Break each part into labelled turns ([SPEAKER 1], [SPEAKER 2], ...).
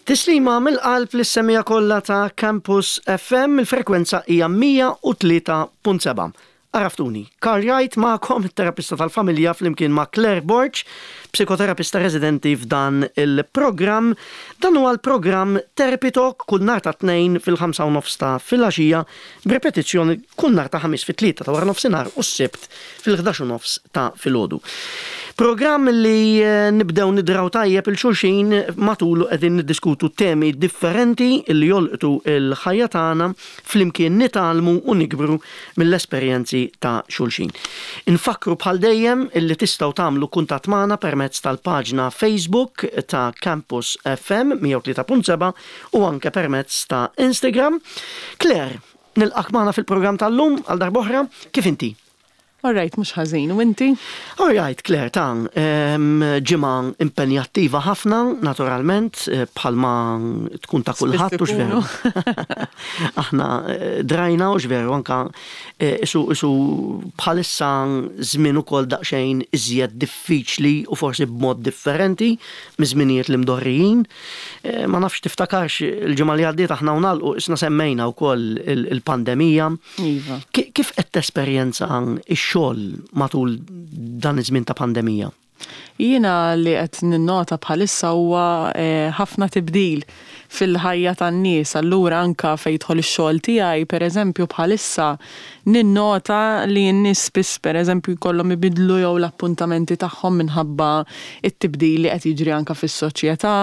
[SPEAKER 1] Tislima mill-qalb lis-semmiegħa kollha ta' Campus FM, il-frekwenza hija 103.7. Għaraftuni, Karl Wright magħkom, it-terapista tal-familja flimkien ma' Claire Borg, psikoterapista residenti f'dan il-programm. Dan huwa l-programm Therapy Talk kull nhar ta' Tnejn fil-ħamsa u nofs ta' filgħaxija b'ripetizzjoni kull nhar ta' Ħamis fit-tlieta ta' waranofsinhar u s-Sibt fil-11 u nofs ta' filgħodu. Programm li nibdew nidraw tajjeb 'il xulxin matulu qegħdin niddiskutu temi differenti li jolqtu l-ħajja tagħna, flimkien nitgħallmu u nikbru mill-esperjenzi ta' xulxin. Infakkru bħal dejjem li tistgħu tagħmlu kuntatt magħna permezz tal-paġna Facebook ta' Campus FM 103.7 u anke permezz ta' Instagram. Claire, nilqak magħna fil-programm tal-lum għal darb'oħra, kif inti?
[SPEAKER 2] All right, mhux ħażin, u inti?
[SPEAKER 1] All right, Claire, ta' ġimgħa impenjattiva ħafna, naturalment, eh, bħalma tkun ta' kulħadd u x'veru. Aħna eh, drajna u x'veru anka eh, isu isu bħalissa żmien ukoll daqsxejn iżjed diffiċli u forsi b'mod differenti miż-żminijiet li mdorrijin. Ma nafx tiftakarx il-ġimgħa li għaddiet aħna u nagħlqu isna semmejna wkoll il-pandemija.
[SPEAKER 2] Iva.
[SPEAKER 1] Kif qed tesperjenza x-xogħol matul dan iż-żmien ta' pandemija?
[SPEAKER 2] Jiena li qed ninnota bħalissa huwa ħafna tibdil fil-ħajja tan-nies, allura anke fejn jidħol ix-xogħol tiegħi, pereżempju bħalissa ninnota li n-nies spiss pereżempju jkollhom ibiddlu jew l-appuntamenti tagħhom minħabba t-tibdil li qed jiġri anke fis-soċjetà,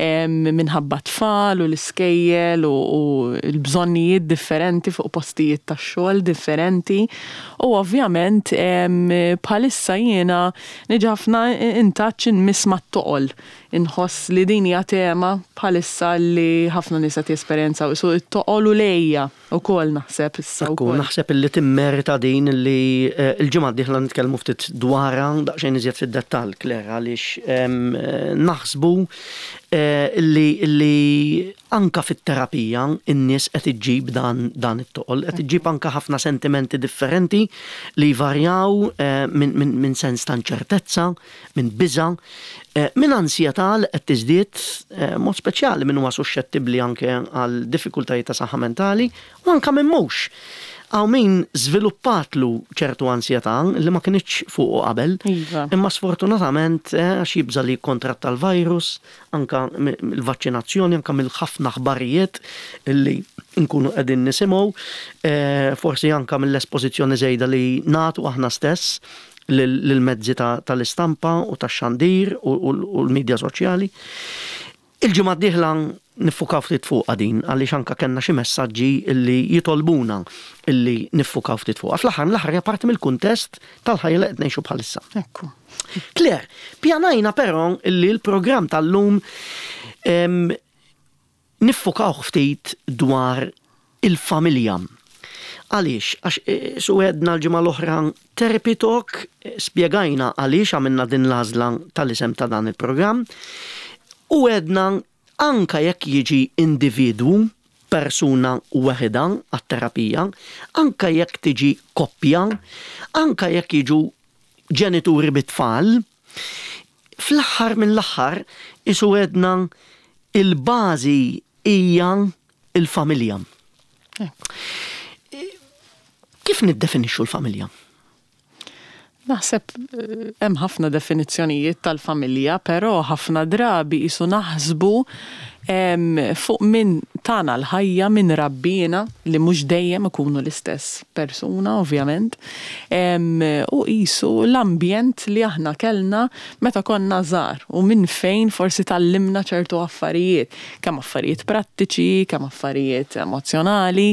[SPEAKER 2] minħabba t-tfal u l-iskejjel u l-bżonnijiet differenti fuq postijiet tax-xogħol differenti. U ovvjament bħalissa jiena niġi ħafna in touch inmiss mat-toqol. Inħoss li din hija tema bħalissa li ħafna nies qed jesperjenzaw, qisu t-toqol u l-għejja wkoll naħseb issa
[SPEAKER 1] Ekku,
[SPEAKER 2] wkoll.
[SPEAKER 1] naħseb illi timmerita din li l-ġimgħa d-dieħla nitkellmu ftit dwarha daqsxejn iżjed fid-dettall, Claire, għaliex naħsbu illi illi anke fit-terapija n-nies qed iġġib dan dan it-toqol, qed iġġib anke ħafna sentimenti differenti li jvarjaw minn minn minn sens ta' inċertezza, minn biża', minn ansjetà li qed tiżdied, mod speċjali min huwa suxxettibbli anke għal diffikultajiet ta' saħħa mentali u anke min mhux. Hawn min żviluppatlu ċertu ansjetà li ma kinitx fuqu qabel, imma sfortunatament għax jibża' li jikkontratta l-virus, anke mill-vaċċinazzjoni, anke mill-ħafna aħbarijiet li nkunu qegħdin nisimgħu, forsi anke mill-espożizzjoni żejda li nagħtu aħna stess lill-mezzi tal-istampa u tax-xandir u l-midja soċjali. Il-ġimgħa d-dieħla niffukaw ftit fuqha din għaliex anke kellna xi messaġġi li jitolbuna li niffukaw ftit fuqha. Fl-aħħar mill-aħħar hija parti mill-kuntest tal-ħajja li qed ngħixu bħalissa.
[SPEAKER 2] Ekku.
[SPEAKER 1] Claire, pjanajna però li l-programm tal-lum Niffokawh ftit dwar il-familja. Għaliex? Għax su għedna l-ġimgħa l-oħra Therapy Talk, spjegajna għaliex għamilna din l-għażla tal-isem ta' dan il-programm u għedna anke jekk jiġi individwu, persuna weħidha għat-terapija, anke jekk tiġi koppja, anke jekk jiġu ġenituri bit-tfal, Fl-aħħar mill-aħħar qisu għedna il-bażi hija l-familja. Kif niddefinixxu l-familja?
[SPEAKER 2] Naħseb hemm ħafna definizzjonijiet tal-familja, però ħafna drabi qisu naħsbu fuq min tana l-ħajja, min rabbiena, li mhux dejjem ikunu l-istess persuna ovvjament, u qisu l-ambjent li aħna kellna meta konna żgħar u minn fejn forsi tgħallimna ċertu affarijiet, kemm affarijiet prattiċi, kemm affarijiet emozzjonali,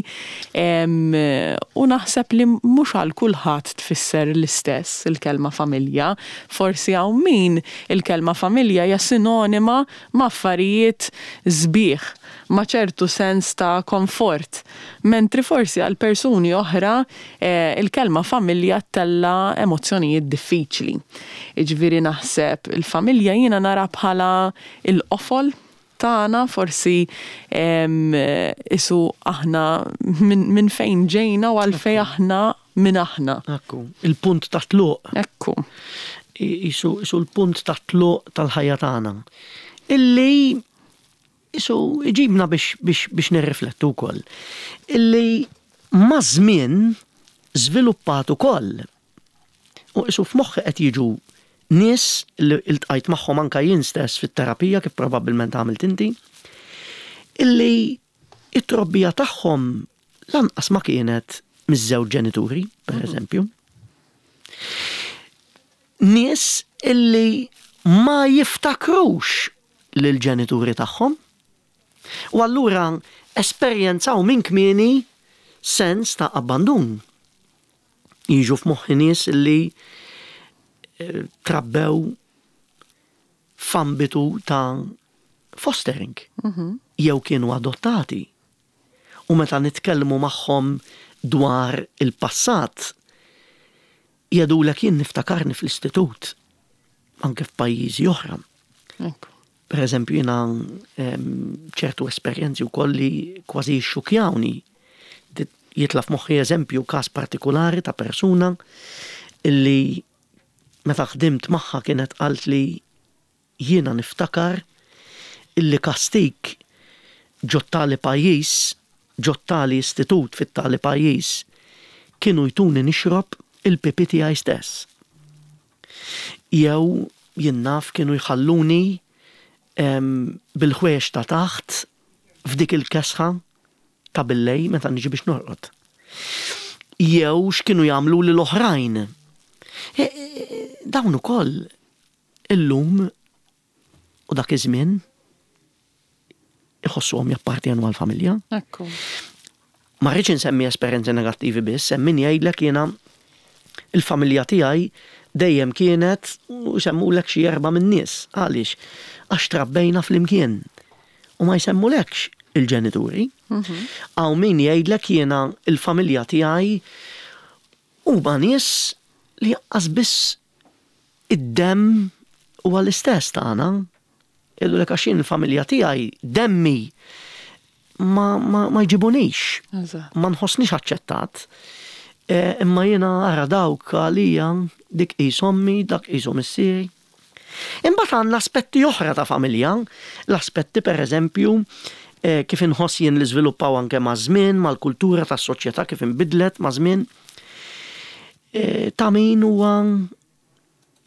[SPEAKER 2] u naħseb li mhux għal kulħadd tfisser l-istess il-kelma familja, forsi hawn min il-kelma familja hija sinonima ma' affarijiet sbieħ, ma' ċertu sens ta' komfort, mentri forsi għal persuni oħra il-kelma familja ttella' emozzjonijiet diffiċli. Jiġifieri naħseb il-familja jiena nara bħala l-qofol tagħna, forsi qisu aħna minn fejn ġejna u għalfejn aħna min aħna.
[SPEAKER 1] Ekku, il-punt ta' tluq.
[SPEAKER 2] Ekku.
[SPEAKER 1] Isu l-punt ta' tluq tal-ħajja tagħna. Illi Isu iġibna biex, biex, biex nirriflettu wkoll illi maż-żmien żviluppat ukoll. U isu f'moħħi qed jiġu nies li iltqajt magħhom anke jien stess fit-terapija kif probabbilment għamilt inti, illi it-trobbija tagħhom lanqas ma kienet miż-żewġ ġenituri, per eżempju. Nies illi ma jiftakrux lill-ġenituri tagħhom u allura esperjenzaw minn kmieni sens ta' abbandun. Jiġu f'moħħi nies illi trabbew f'ambitu ta' fostering jew kienu adottati. U meta nitkellmu magħhom dwar il-passat, jgħidulek jien niftakarni fl-istitut, anke f'pajjiżi oħra. Per eżempju, jiena ċertu esperjenzi wkoll li kważi jixxukjawni. Jitla' f'moħħi eżempju każ partikulari ta' persuna illi meta ħdimt magħha kienet qalt li jiena niftakar illi kastig ġot-tali pajjiż, ġot-tali istitut fit-tali pajjiż, kienu jtuni nixrob il-pipi tiegħi stess. Jew, jien naf, kienu jħalluni bil-ħwejjeġ ta' taħt f'dik il-kesħa ta' billejl meta niġi biex norqod. Jew x'kienu jagħmluli l-oħrajn. Dawn ukoll illum u dak iż-żmien iħossuhom jappartjenu għall-familja.
[SPEAKER 2] Ekku.
[SPEAKER 1] Ma rridx insemmi esperjenzi negattivi biss, hemm min jgħidlek jiena il-familja tiegħi dejjem kienet u jsemmulek xi erba' min-nies. Għaliex? Għax trabbejna flimkien. U ma jsemmulekx il-ġenituri. Hawn min jgħidlek jiena il-familja tiegħi huma nies li anqas biss id-demm huwa l-istess tagħna. Jgħidulek għax jien il-familja tiegħi demmi ma, ma, ma jġibunix. Ma nħossnix aċċettat. E, imma jiena ara dawk għalija dik qis ommi, dak qisu missieri. Imbagħad għandna aspetti oħra ta' familja, l-aspetti pereżempju e, kif inħoss jien li żviluppaw anke maż-żmien, mal-kultura tas-soċjetà kif inbidlet maż-żmien. E, ta' min huwa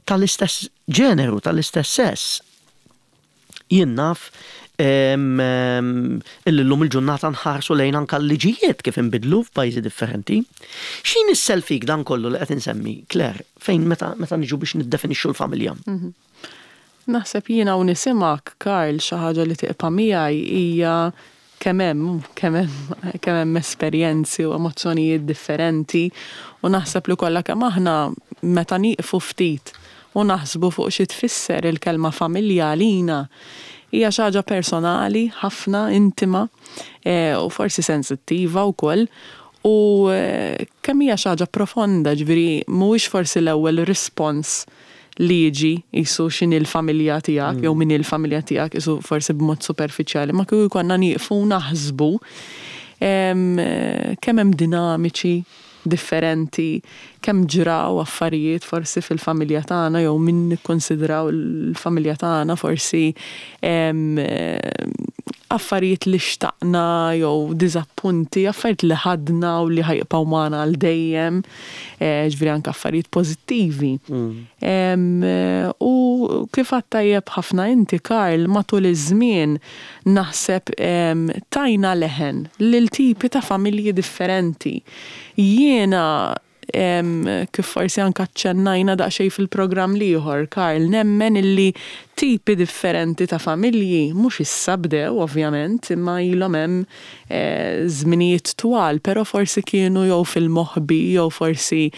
[SPEAKER 1] tal-istess ġeneru, tal-istess sess. Jien naf illi llum il-ġurnata nħarsu lejn anka l-liġijiet kif inbidlu f'pajjiżi differenti. X'inissel fik dan kollu li qed insemmi, Claire, fejn meta, meta niġu biex niddefinixxu l-familja?
[SPEAKER 2] Mhm. Naħseb jiena u nisimgħek, Karl, xi ħaġa li tibqa' miegħi hija kemm hemm, kemm hemm, kemm hemm esperjenzi u emozzjonijiet differenti u naħseb li kollha kemm aħna meta nieqfu ftit u naħsbu fuq xi tfisser il-kelma familja għalina, hija xi ħaġa personali ħafna, intima u forsi sensittiva wkoll u kemm hija xi ħaġa profonda, ġifieri mhuwiex forsi l-ewwel rispons li jiġi qisu x'inhi l-familja tiegħek jew min hi l-familja tiegħek qisu forsi b'mod superfiċjali, ma kieku jkollna nieqfu u naħsbu kemm hemm dinamiċi differenti, kemm ġraw affarijiet forsi fil-familja tagħna jew min nikkunsidraw l-familja tagħna forsi affarijiet li xtaqna jew diżappunti, affarijiet li ħadna u li ħa jibqgħu magħna għal dejjem. Ġifieri anke affarijiet pożittivi. U kif għedt tajjeb ħafna inti, Karl, matul iż-żmien naħseb tajna leħen lil tipi ta' familji differenti. Jiena kif forsi anke aċċennajna daqsxejn fil-programm l-ieħor, Karl, nemmen illi tipi differenti ta' familji mhux issa bdew ovvjament, imma ilhom hemm żminijiet twal, però forsi kienu jew fil-moħbi jew forsi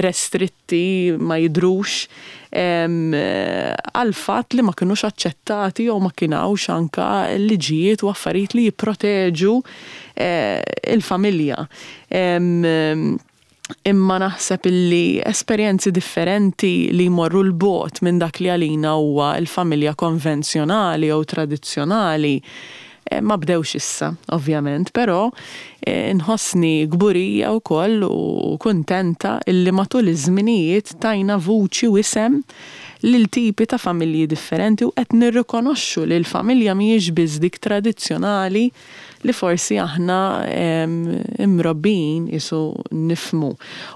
[SPEAKER 2] restritti, ma jidhrux, għall-fatt li ma kinux aċċettati jew ma kien hawnx anke liġijiet u affarijiet li jipproteġu l-familja. Imma naħseb illi esperjenzi differenti li jmorru 'l bogħod minn dak li għalina huwa l-familja konvenzjonali jew tradizzjonali ma bdewx issa, ovvjament, però nħossni kburija wkoll u kuntenta illi matul iż-żminijiet tajna vuċi u isem. lil tipi ta' familji differenti u qed nirrikonoxxu li l-familja mhijiex biss dik tradizzjonali li forsi aħna mrobbijin qisu nifhmu.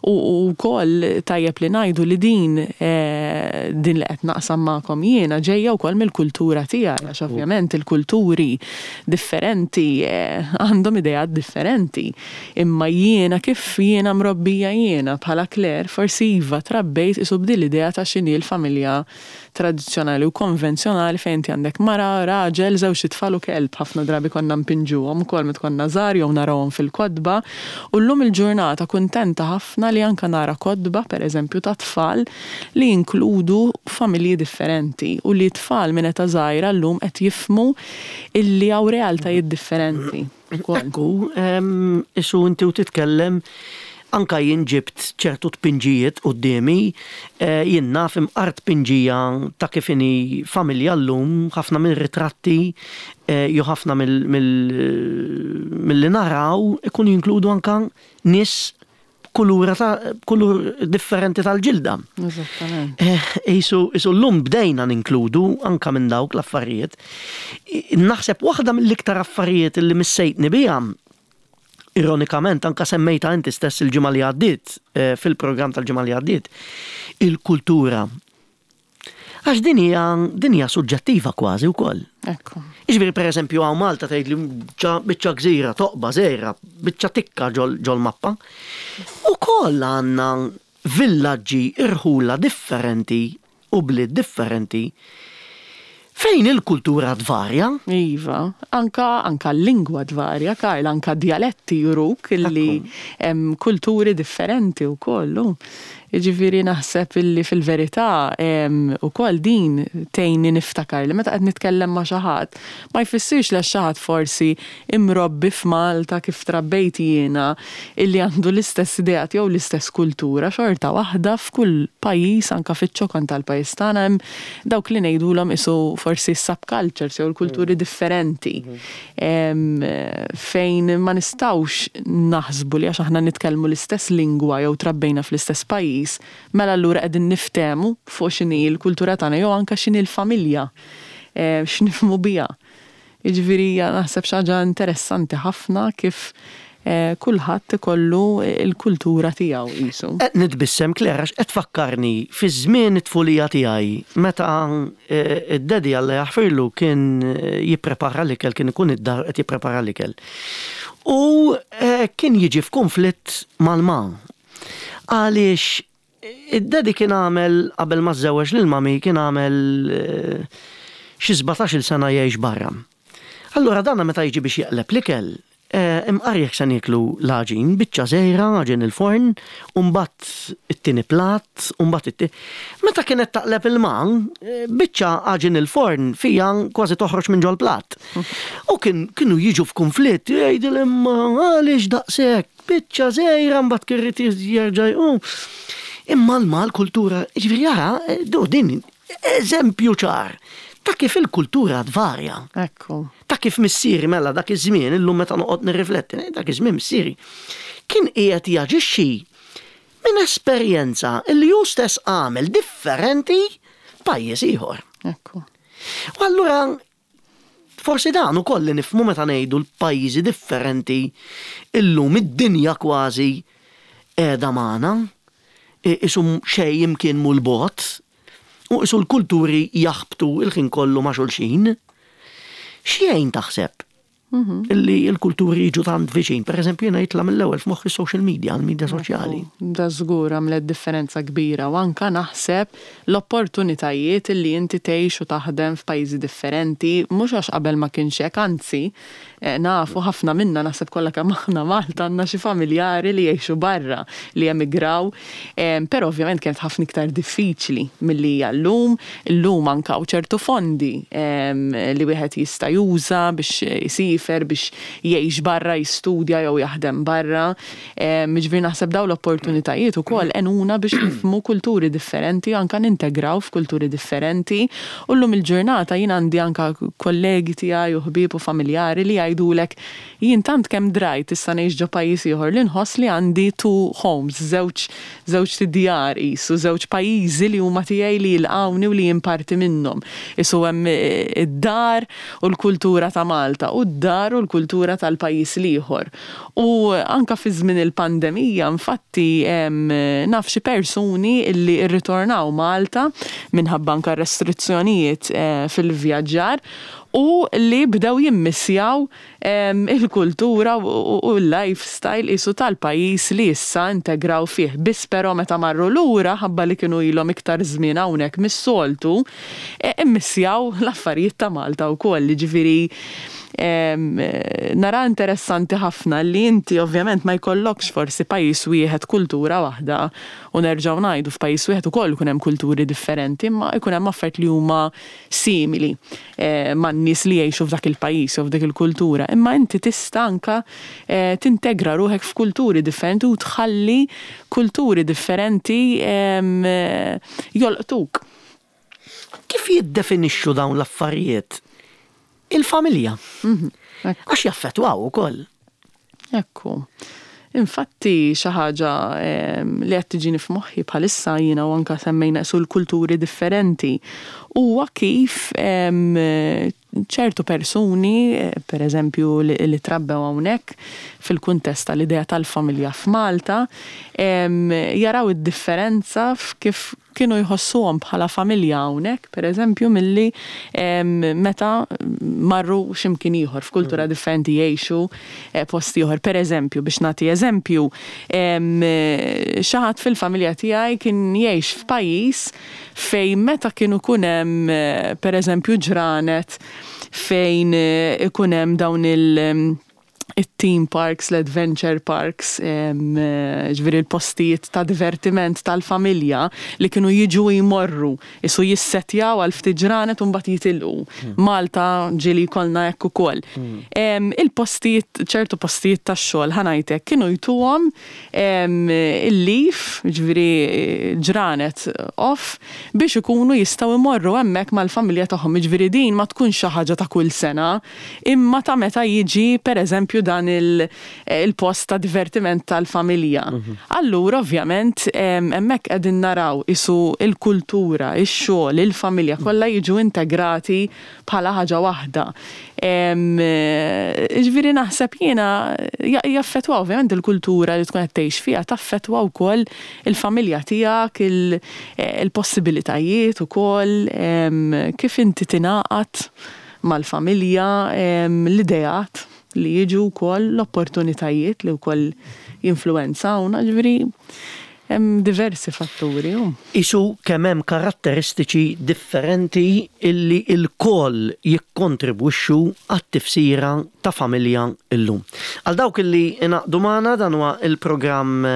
[SPEAKER 2] U wkoll tajjeb li ngħidu li din din li qed naqsam magħkom jiena ġejja wkoll mill-kultura tiegħi għax ovvjament il-kulturi differenti għandhom ideat differenti. Imma jiena kif jiena mrobbija jiena bħala Claire forsi iva trabbejt qisu b'din l-idea ta' x'inhi l-familja tradizzjonali u konvenzjonali fejn inti għandek mara, raġel, żewġt itfal u kelb. Ħafna drabi konna npinġuhom ukoll meta konna żgħar jew narawhom fil-kotba. U llum il-ġurnata kuntenta ħafna li anke nara kotba, pereżempju, ta' tfal li jinkludu familji differenti u li t-tfal minn età żgħira llum qed jifhmu illi hawn realtajiet differenti.
[SPEAKER 1] Ekku, isu inti u titkellem, anka jien ġibt ċertu tpinġijiet quddiemi, jien naf imqar tpinġija ta' kif inhi familja llum, ħafna mir-ritratti jew ħafna milli naraw ikunu jinkludu anka nies b'kulura ta' b'kulur differenti tal-ġilda.
[SPEAKER 2] Eżattament.
[SPEAKER 1] Isu isu llum bdejna ninkludu anka minn dawk l-affarijiet. Naħseb waħda mill-iktar affarijiet li missejtni biha, ironikament anka semmejtha inti stess il-ġimgħa li għaddiet, fil-programm tal-ġimgħa li għaddiet, il-kultura. Għax din hija din hija suġġettiva kważi wkoll.
[SPEAKER 2] Ekku.
[SPEAKER 1] Jiġifieri pereżempju hawn Malta tgħid li biċċa gżira, toqba żgħira, biċċa tikka ġol-mappa. Ukoll għandna villaġġi irħula differenti u bliet differenti fejn il-kultura tvarja.
[SPEAKER 2] Iva, anka anka l-lingwa tvarja, Karl, anka djaletti juruk illi hemm kulturi differenti wkoll. Jiġifieri naħseb illi fil-verità ukoll din tgħinni niftakar li meta qed nitkellem ma' xi ħadd, ma jfissirx li għax xi ħadd forsi imrobbi f'Malta kif trabbejt jiena illi għandu l-istess ideat jew l-istess kultura, xorta waħda f'kull pajjiż anke fiċ-ċokon tal-pajjiż tagħna hemm dawk li ngħidulhom qisu forsi s-subcultures jew il-kulturi differenti. Fejn ma nistgħux naħsbu li għax aħna nitkellmu l-istess lingwa jew trabbejna fl-istess pajjiż, mela allura qegħdin niftehmu fuq x'inhi l-kultura tagħna jew anke x'inhi l-familja, x'nifhmu biha. Jiġifieri hija naħseb xi ħaġa interessanti ħafna kif kulħadd ikollu l-kultura tiegħu qisu.
[SPEAKER 1] Qed nitbissem Claire għax qed tfakkarni fi żmien it-tfulija tiegħi meta id-daddy Alla jaħfirlu kien jipprepara l-ikel, kien ikun id-dar qed jipprepara l-ikel. U kien jiġi f'kunflitt mal-ma. Għaliex Id-daddy kien għamel, qabel ma żżewweġ lil mummy, kien għamel xi sbatax-il sena jgħix barra. Allura dana meta jiġi biex jeqleb l-ikel, imqar jekk se nieklu l-għaġin, biċċa żgħira, għaġin il-forn, u mbagħad it-tieni platt, u mbagħad it Meta kienet taqleb il-ma, biċċa għaġin il-forn fiha kważi toħroġ minn ġol-platt. U kien kienu jiġu f'kunflitt, jgħidilha imma għaliex daqshekk? Biċċa żgħira mbagħad kien irid jerġa' jqum. Imma l-mal kultura, jiġifieri ara, din eżempju ċar ta' kif il-kultura tvarja.
[SPEAKER 2] Ekku.
[SPEAKER 1] Ta' kif missieri mela dak iż-żmien, illum meta noqgħod nirrifletti, dak iż-żmien missieri kien qiegħed jaġixxi minn esperjenza li hu stess għamel differenti f'pajjiż ieħor.
[SPEAKER 2] Ekku.
[SPEAKER 1] U allura Forsi dan ukoll li nifhmu meta ngħidu l-pajjiżi differenti illum id-dinja kważi qiegħda magħna, qisu xejn imkien mhu 'l bogħod u qisu l-kulturi jaħbtu l-ħin kollu ma' xulxin. X'jgħin taħseb illi l-kulturi jiġu tant viċin? Pereżempju jiena jitla' mill-ewwel f'moħħi s-social media, l-media soċjali.
[SPEAKER 2] Da żgur għamlet differenza kbira u anke naħseb l-opportunitajiet li inti tgħix u taħdem f'pajjiżi differenti, mhux għax qabel ma kienx hekk, anzi, nafu ħafna minna, naħseb kollha kemm aħna Malta għandna xi familjari li jgħixu barra, li emigraw, però ovvjament kienet ħafna iktar diffiċli milli hija llum. Illum anke hawn ċertu fondi li wieħed jista' juża biex isiefer. isiefer biex jgħix barra, jistudja jew jaħdem barra. Jiġifieri naħseb dawn l-opportunitajiet ukoll għenuna biex nifhmu kulturi differenti, anke nintegraw f'kulturi differenti. U llum il-ġurnata jien għandi anke kollegi tiegħi u ħbieb u familjari li jgħidulek jien tant kemm drajt issa ngħix ġo pajjiż ieħor li nħoss li għandi two homes, żewġ żewġt idjar qisu, żewġ pajjiżi li huma tiegħi li jilqgħuni u li jien parti minnhom. Qisu hemm id-dar u l-kultura ta' Malta u d-dar u l-kultura tal-pajjiż l-ieħor. U anke fi żmien il-pandemija infatti naf xi persuni li rritornaw Malta minħabba anke restrizzjonijiet fil-vjaġġar u li bdew jimmissjaw il-kultura u l-lifestyle qisu tal-pajjiż li issa integraw fih. Biss però meta marru lura ħabba li kienu ilhom iktar żmien hawnhekk mis-soltu, immissjaw l-affarijiet ta' Malta wkoll. Jiġifieri nara interessanti ħafna li inti ovvjament ma jkollokx forsi pajjiż wieħed, kultura waħda, u nerġgħu ngħidu f'pajjiż wieħed ukoll ikun hemm kulturi differenti, imma jkun hemm affarijiet li huma simili man-nies li jgħixu f'dak il-pajjiż jew f'dik il-kultura. Imma inti tista' anke tintegra ruħek f'kulturi differenti u tħalli kulturi differenti jolqtuk.
[SPEAKER 1] Kif jiddefinixxu dawn l-affarijiet il-familja? Għax jaffettwaw ukoll.
[SPEAKER 2] Ekku. Infatti xi ħaġa li qed tiġini f'moħħi bħalissa jiena u anke semmejna qisu l-kulturi differenti huwa kif ċertu persuni, per eżempju li trabbew hawnhekk fil-kuntest tal-idea tal-familja f'Malta, jaraw id-differenza f'kif kienu jħossuhom bħala familja hawnhekk, per eżempju, milli meta marru xi mkien ieħor, f'kultura differenti jgħixu post ieħor. Per eżempju, biex nagħti eżempju, xi ħadd fil-familja tiegħi kien jgħix f'pajjiż fejn meta kien ikun hemm, per eżempju, ġranet fejn ikun hemm dawn il- it-theme parks, l-adventure parks, ġifieri l-postijiet ta' divertiment tal-familja li kienu jiġu jmorru, isu jissetjaw għal ftit ġranet u mbagħad jitilqu. Malta ġieli jkollna hekk ukoll. Il-postijiet, ċertu postijiet tax-xogħol ħa ngħidlek kienu jtuhom il-leave, ġifieri ġranet off, biex ikunu jistgħu jmorru hemmhekk mal-familja tagħhom. Jiġifieri din ma tkunx xi ħaġa ta' kull sena, imma ta' meta jiġi pereżempju dan il-post ta' divertiment tal-familja. Allura ovvjament hemmhekk qegħdin naraw qisu l-kultura, ix-xogħol, il-familja kollha jiġu integrati bħala ħaġa waħda. Jiġifieri naħseb jiena jaffettwa ovvjament il-kultura li tkun qed tgħix fiha taffettwa wkoll il-familja tiegħek, il-possibilitajiet ukoll, kif inti tingħaqad mal-familja, l-ideat li jiġu wkoll, l-opportunitajiet li wkoll jinfluwenzawna, ġifieri hemm diversi fatturi.
[SPEAKER 1] Qisu kemm hemm karatteristiċi differenti illi lkoll jikkontribwixxu għat-tifsira ta' familja llum. Għal dawk illi ingħaqdu magħna dan huwa l-programm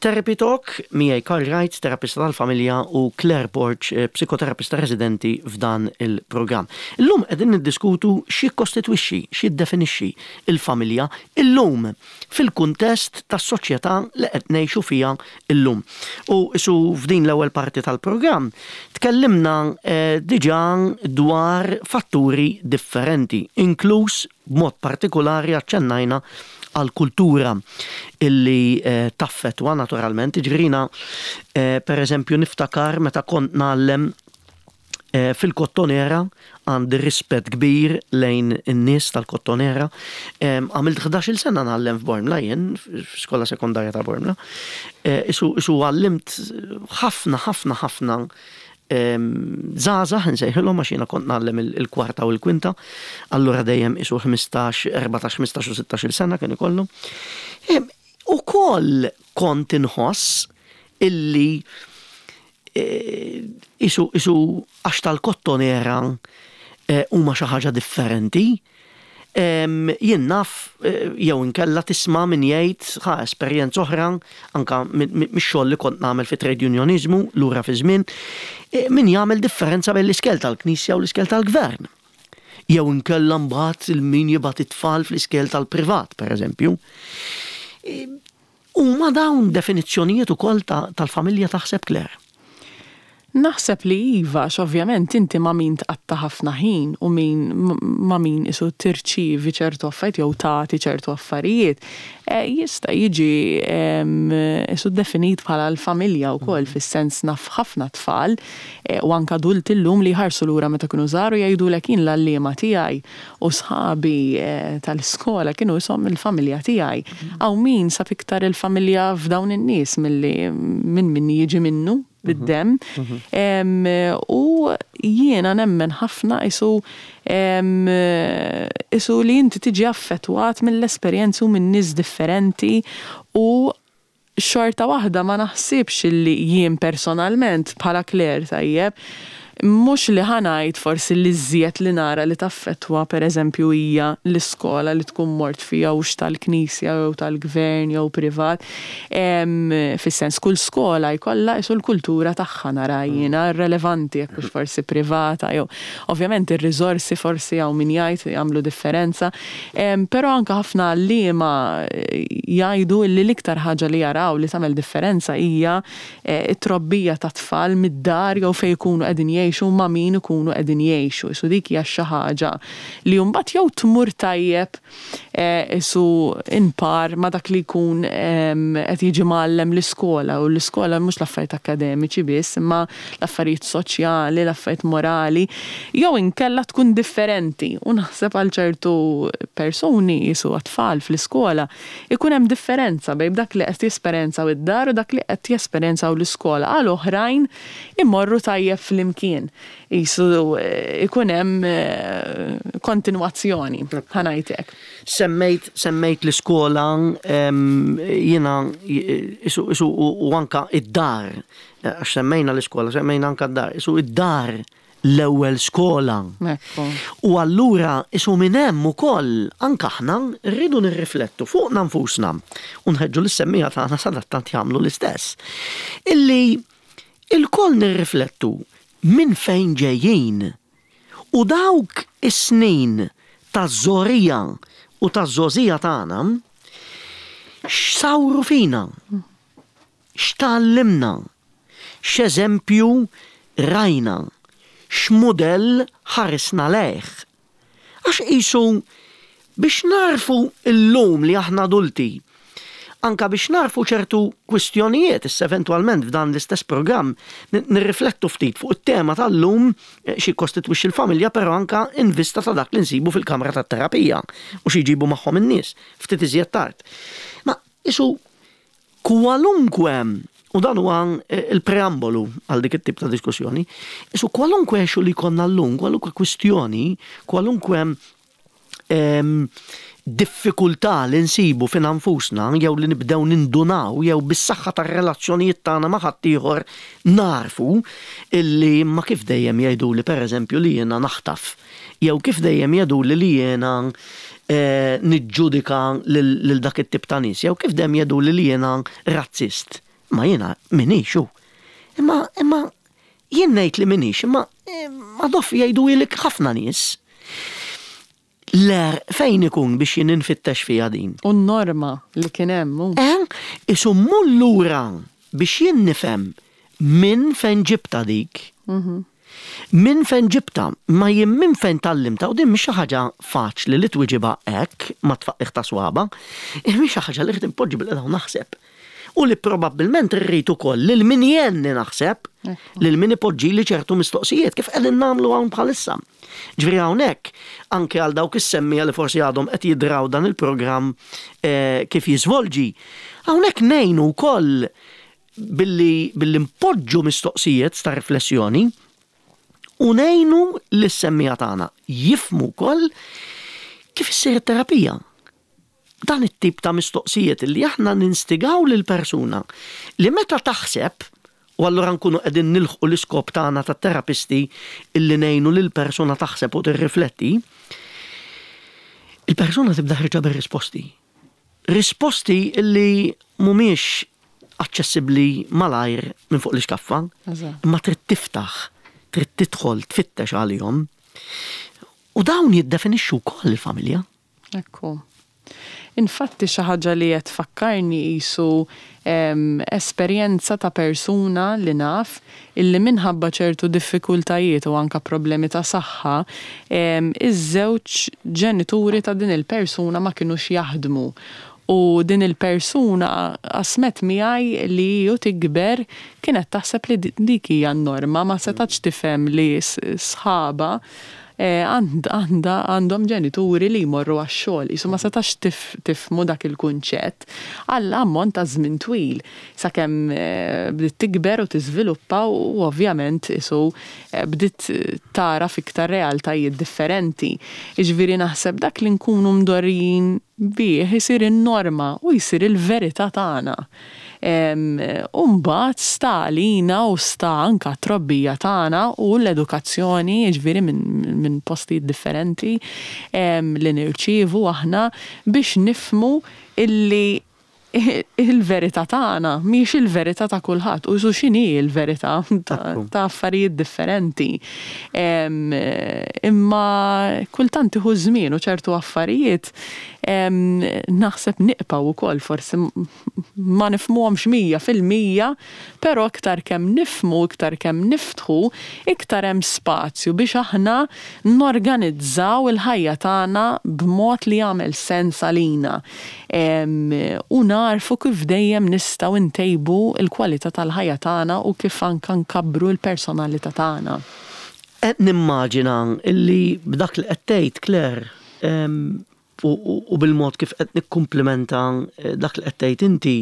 [SPEAKER 1] Therapy Talk miegħi Karl Wright, terapista tal-familja u Claire Borg, psikoterapista residenti f'dan il-programm. Illum qegħdin niddiskutu x'jikkostitwixxi, x'jiddefinixxi l-familja illum fil-kuntest tas-soċjetà li qed ngħixu fiha llum. U isu f'din l-ewwel parti tal-programm tkellimna diġà dwar fatturi differenti, inkluż b'mod partikulari aċċennajna għall-kultura illi taffettwa naturalment. Jiġifieri jiena pereżempju niftakar meta kont ngħallem Fil-Kottonera għandi rispett kbir lejn in-nies tal-Kottonera. Għamilt ħdax-il sena ngħallem f'Bormla jien, f'skola sekondarja ta' Bormla. Isu isu għallimt ħafna ħafna ħafna żgħażagħ insejħilhom għax jiena kont ngħallem il-kwarta u l-kwinta, allura dejjem isu ħmistax, 14, 15 u 16-il sena kien ikollhom. Ukoll kont inħoss illi Isu isu għax tal-kottonera huma xi ħaġa differenti. Jien naf jew inkella tisma' min jgħid ħa esperjenza oħra anke mix-xogħol li kont nagħmel fi trade unioniżmu lura fiż-żmien, min jagħmel differenza bejn l-iskel tal-Knisja u l-iskel tal-Gvern. Jew inkella mbagħad il-min jibgħat it-tfal fl-iskejjel tal-privat, pereżempju. Huma dawn definizzjonijiet ukoll tal-familja taħseb Claire?
[SPEAKER 2] Naħseb li iva, għax ovvjament inti ma' min tqatta' ħafna ħin u min ma' min qisu tirċievi ċertu affarijiet jew tagħti ċertu affarijiet, jista' jiġi qisu definit bħala l-familja wkoll fis-sens naf ħafna tfal u anke adulti llum li jħarsu lura meta kienu żgħar u jgħidulek jien l-għalliema tiegħi u sħabi tal-iskola kienu ishom il-familja tiegħi. Hawn min sab iktar il-familja f'dawn in-nies milli minn min jiġi minnu bid-demm. U jiena nemmen ħafna qisu qisu li inti tiġi affettwat mill-esperjenzi u minn nies differenti u xorta waħda ma naħsibx li jien personalment bħala Claire tajjeb, mhux li ħa ngħid forsi l-iżjed li nara li taffettwa pereżempju hija l-iskola li tkun mort fiha hux tal-knisja jew tal-gvern jew privat. Fis-sens kull skola jkollha qisu l-kultura tagħha nara jiena rrelevanti jekk hux forsi privata jew ovvjament ir-riżorsi forsi hawn min jgħid jagħmlu differenza. Però anke ħafna għalliema jgħidu li l-iktar ħaġa li jaraw li tagħmel differenza hija it-trobbija tat-tfal mid-dar jew fejn ikunu qegħdin jgħixu u ma' min ikunu qegħdin jgħixu. Qisu dik hija xi ħaġa li mbagħad jew tmur tajjeb qisu in par ma' dak li jkun qed jiġi mgħallem l-iskola u l-iskola mhux l-affarijiet akkademiċi biss imma l-affarijiet soċjali, l-affarijiet morali, jew inkella tkun differenti u naħseb għal ċertu persuni qisu għat-tfal fl-iskola Ikun hemm differenza bejn dak li qed jesperjenzaw id-dar u dak li qed jesperjenzaw l-iskola. Għal oħrajn imorru tajjeb flimkien. Qisu ikun hemm kontinwazzjoni, ħa ngħid hekk.
[SPEAKER 1] Semmejt semmejt l-iskola jiena qisu qisu u anke id-dar għax semmejna l-iskola, semmejna anke d-dar. Qisu id-dar l-ewwel skola. U allura isu minn hemm ukoll anke aħna rridu nirriflettu fuqna nfusna u nħeġġu lis-semmiegħa tagħna sadattant jagħmlu l-istess. Illi ilkoll nirriflettu minn fejn ġejjin u dawk is-snin taż-żgħorija u taż-żgħożija tagħna x'sawru fina. X'tgħallimna? X'eżempju rajna? X'mudell ħarisna lejh? Għax qisu biex nagħrfu llum li aħna adulti, anke biex nagħrfu ċertu kwistjonijiet, issa eventwalment f'dan l-istess programm nirriflettu ftit fuq it-tema tal-lum x'jikkostitwixxi l-familja però anke in vista ta' dak li nsibu fil-kamra tat-terapija u xi jġibu magħhom in-nies ftit iżjed tard. Ma qisu Kwalunkwe, u dan huwa l-preambolu għal dik it-tip ta' diskussjoni, isu kwalunkwe issue li jkollna llum, kwalunkwe kwistjoni, kwalunkwe ehm, diffikultà li nsibu fina nfusna jew li nibdew nindunaw jew bis-saħħa tar-relazzjonijiet tagħna ma' ħaddieħor narfu illi ma kif dejjem jgħiduli pereżempju li jiena naħtaf jew kif dejjem jgħiduli li jiena niġġudika lil dak it-tip ta' nies, jew kif dejjem jgħiduli li jiena razzist. Imma jiena m'iniex hu. Imma imma jien ngħid li m'iniex, imma Adolf jgħiduhielek ħafna nies. L-għerq fejn ikun biex jien infittex fiha din?
[SPEAKER 2] U n-norma li kien hemm hu.
[SPEAKER 1] Eh, isu mmur lura biex jien nifhem minn fejn ġibtha dik. Minn fejn ġibtha, ma jien minn fejn tgħallimtha u din mhix xi ħaġa faċli li twiġibha hekk mat-tfaqqigħ ta' swaba', mhix xi ħaġa li rrid inpoġġi bilqiegħda u naħseb. U li probabbilment irrid ukoll lil min jgħinni naħseb, lil min ipoġġili ċertu mistoqsijiet kif qegħdin nagħmlu hawn bħalissa. Ġifieri hawnhekk, anke għal dawk is-semmiegħa li forsi għadhom qed jidraw dan il-programm kif jiżvolġi, hawnhekk ngħinu wkoll billi billi npoġġu mistoqsijiet ta' riflessjoni u ngħinu lis-semmiegħa tagħna jifhmu wkoll kif issir it-terapija. Dan it-tip ta' mistoqsijiet li aħna ninstigaw lill-persuna li meta taħseb, u allura nkunu qegħdin nilħqu l-iskop tagħna ta' terapisti illi ngħinu lill-persuna taħseb u tirrifletti, il-persuna tibda ħierġa bir-risposti. Risposti li mhumiex aċċessibbli malajr minn fuq l-ixkaffa, imma trid tiftaħ, trid tidħol, tfittex għalihom. U dawn jiddefinixxu wkoll il-familja.
[SPEAKER 2] Ekku. Infatti xi ħaġa li qed tfakkarni qisu esperjenza ta' persuna li naf illi minħabba ċertu diffikultajiet u anke problemi ta' saħħa, iż-żewġ ġenituri ta' din il-persuna ma kinux jaħdmu. U din il-persuna qasmet miegħi li hi u tikber kienet taħseb li dik hija n-norma, ma setgħetx tifhem li sħabha għandha għandhom ġenituri li jmorru għax-xogħol. Qisu ma setax tifhmu dak il-kunċett għal ammont ta' żmien twil sakemm bdiet tikber u tiżviluppa u ovvjament qisu bdiet tagħraf iktar realtajiet differenti. Jiġifieri naħseb dak li nkunu mdorrijin bih isir in-norma u jsir il-verità tagħna. U mbagħad sta għalina u sta anke għat-trobbija tagħna u l-edukazzjoni, jiġifieri minn postijiet differenti li nirċievu aħna biex nifhmu illi il-verità tagħna mhijiex il-verità ta' kulħadd u qisu x'inhi l-verità ta' affarijiet differenti. Imma kultant tieħu ż-żmien u ċertu affarijiet naħseb niqpaw ukoll forsi ma nifhmuhomx 100%, però iktar kemm nifhmu, iktar kemm niftħu, iktar hemm spazju biex aħna norganizzaw il-ħajja tagħna b'mod li jagħmel sens għalina. U nagħrfu kif dejjem nistgħu ntejbu l-kwalità tal-ħajja tagħna u kif anke nkabbru l-personalità tagħna.
[SPEAKER 1] Qed nimmaġina li b'dak li qed tgħid, Claire, u bil-mod kif qed nikkumplimenta dak li qed tgħid inti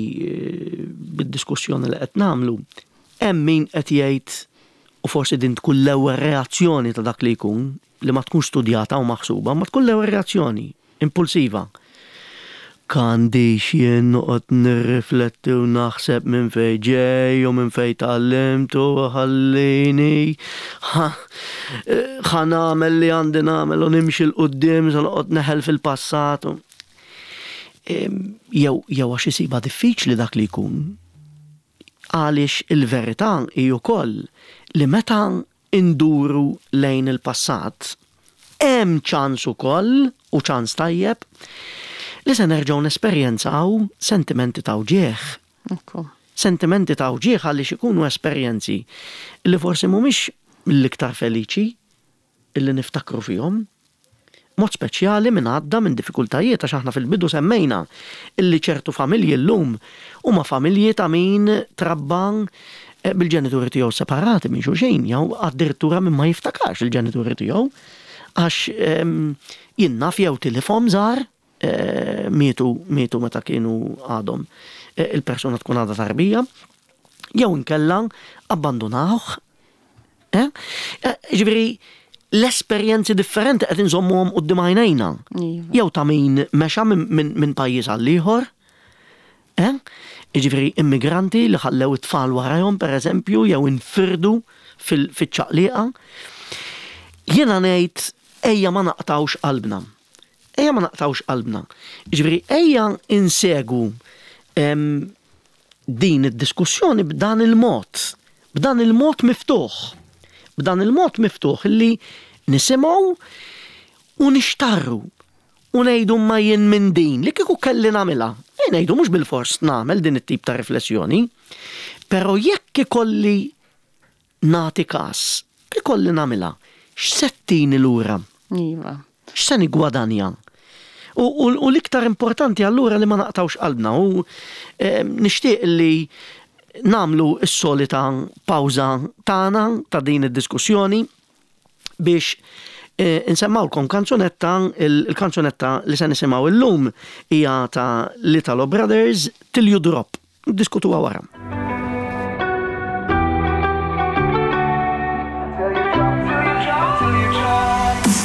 [SPEAKER 1] bid-diskussjoni li qed nagħmlu, hemm min qed jgħid, u forsi din tkun l-ewwel reazzjoni ta' dak li jkun, li ma tkunx studjata u maħsuba, ma tkun l-ewwel reazzjoni, impulsiva. K'għandix jien noqgħod nirrifletti u naħseb minn fejn ġej u minn fejn tgħallimt u ħallini ħa nagħmel li għandi nagħmel u nimxi 'l quddiem se noqgħod neħel fil-passat. Jew jew għax isibha diffiċli dak li jkun. Għaliex il-verità hi wkoll li meta induru lejn il-passat, hemm ċans ukoll, u ċans tajjeb, li se nerġgħu nesperjenzaw sentimenti ta' wġigħ. Sentimenti ta' wġigħ għaliex ikunu esperjenzi li forsi mhumiex mill-iktar feliċi li niftakru fihom. Mod speċjali min għadda minn diffikultajiet għax aħna fil-bidu semmejna illi ċertu familji llum huma familji ta' min trabba bil-ġenituri tiegħu separati minn xulxin jew addirittura min ma jiftakarx il-ġenituri tiegħu għax jien naf jew tilifhom żgħar mietu mietu meta kienu għadhom il-persuna tkun għadha tarbija jew inkella abbandunawh Eh? eh ġifieri l-esperjenzi differenti qed inżommuhom quddiem għajnejna. Iva. Jew ta' min mexa minn pajjiż għal ieħor. Eh? Jiġifieri immigranti li ħallew it-tfal warajhom pereżempju jew infirdu fiċ-ċaqliqa. Jiena ngħid ejja ma naqtgħux qalbna. Ejja ma naqtgħux qalbna. Jiġifieri ejja insegu din id-diskussjoni b'dan il-mod, b'dan il-mod miftuħ, b'dan il-mod miftuħ li nisimgħu u nixtarru u ngħidu ma jien minn din li kieku kelli nagħmilha. E ngħidu mhux bilfors nagħmel din it-tip ta' riflessjoni, però jekk ikolli nagħti każ, ikolli nagħmilha, x'se ttini lura?
[SPEAKER 2] Iva.
[SPEAKER 1] X'se niggwadanja? U, u, u l-iktar importanti allura li ma naqtgħux qalbna u eh, nixtieq li nagħmlu s-solita pawża tagħna ta' din id-diskussjoni biex eh, insemmawlkom kanzunetta, il-kanzunetta li se nisimgħu illum hija ta' l-Italo Brothers Till You Drop. Niddiskutuha wara.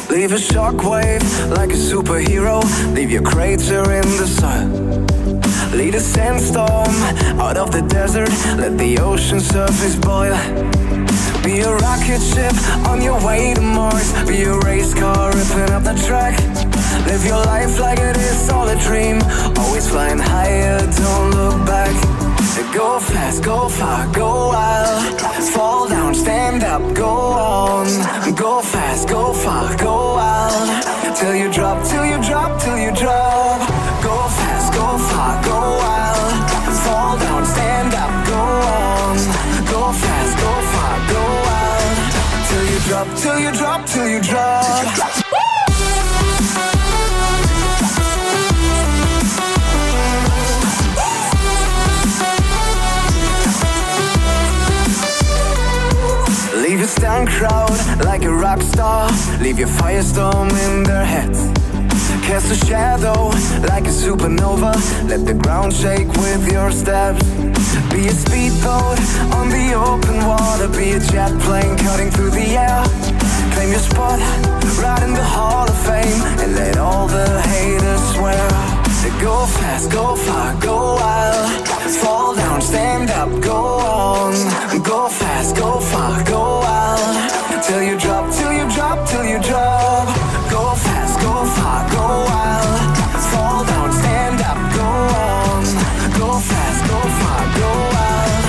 [SPEAKER 3] Leave a shockwave like a superhero. Leave your crater in the sun. Lead a sandstorm out of the desert. Let the ocean surface boil. Be a rocket ship on your way to Mars. Be a race car ripping up the track. Live your life like it is all a dream. Always flying higher, don't look back. Go fast, go far, go wild. Fall down, stand up, go on. Go fast, go far, go wild. till you drop, till you drop. Leave your stand crowd like a rock star. Leave your firestorm in their heads. Cast a shadow like a supernova. Let the ground shake with your steps. Be a speedboat on the open water. Be a jet plane cutting through the air. Claim your spot right in the Hall of Fame and let all the haters swear. Go fast, go far, go wild. Fall down, stand up, go on. Go fast, go far, go wild. Till you drop, till you drop, till you drop. Go fast, go far, go wild. Fall down, stand up, go on. Go fast, go far, go wild.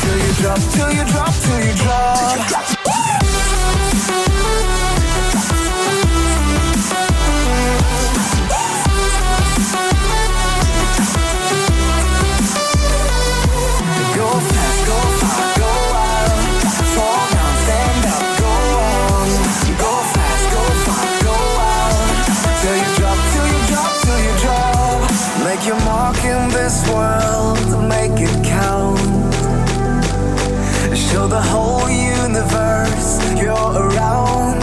[SPEAKER 3] Till you drop, till you drop, till you drop. Go fast, go far, go wild. Fall down, stand up, go on. Go fast, go far, go wild. Till you drop, till you drop, till you drop. Make your mark in this world, make it count. Show the whole universe you're around.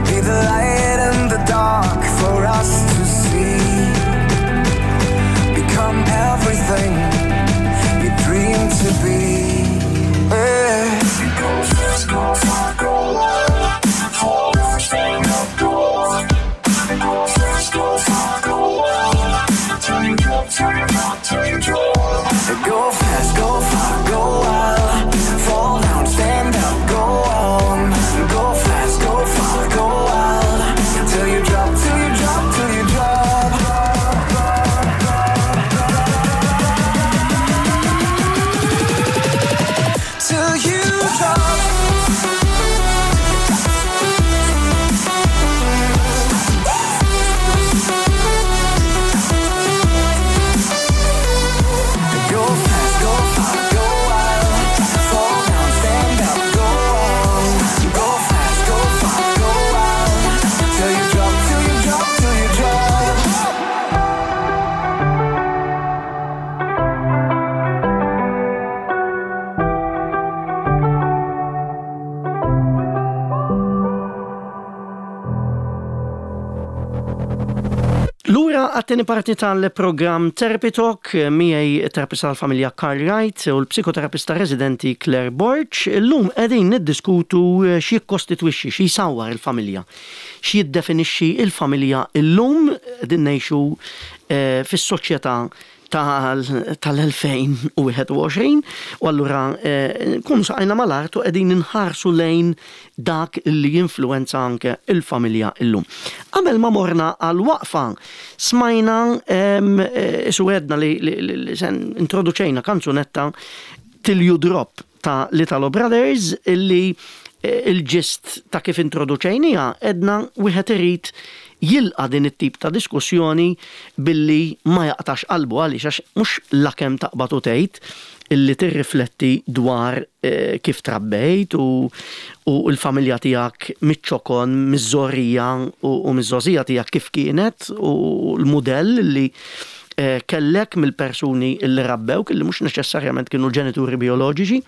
[SPEAKER 3] Be the light in the dark for us to see. Become everything you dream to be. Yeah. Go fast, go far, go wild. Fall down, stand up, go on. Go fast, go far, go wild. Till you drop, till you drop, till you drop. Go fast, go far, go wild. Fall down, stand up, go on. Go fast, go far, go wild. Till you drop, till you drop, till you drop. Till you drop. Go fast, go far, go wild. Fall down, stand up, go on. Go fast, go far, go wild. Till you drop, till you drop, till you drop.
[SPEAKER 1] Lura għat-tieni parti tal-programm Therapy Talk miegħi terapista tal-familja Karl Wright u l-psikoterapista residenti Claire Borg. Illum qegħdin niddiskutu x'jikkostitwixxi, x'jsawwar il-familja, x'jiddefinixxi il-familja illum qegħdin ngħixu fis-soċjetà tal-2021 u allura nkunu saqajna mal-art u qegħdin inħarsu lejn dak li jinfluwenza anke il-familja illum. Qabel ma morna għal waqfa smajna isu għedna li se introduċejna kanzunetta Till You Drop ta' l-Italo Brothers illi il-ġist ta' kif introduċejniha għedna wieħed irid jilqa' din it-tip ta' diskussjoni billi ma jaqtax qalbu għaliex għax mhux lakemm taqbad u tgħid illi tirrifletti dwar kif trabbejt u u l-familja tiegħek miċ-ċokon, miż-żgħorija u miż-żgħożija tiegħek kif kienet u l-mudell li kellek mill-persuni li rabbewk illi mhux neċessarjament kienu l-ġenituri bijoloġiċi.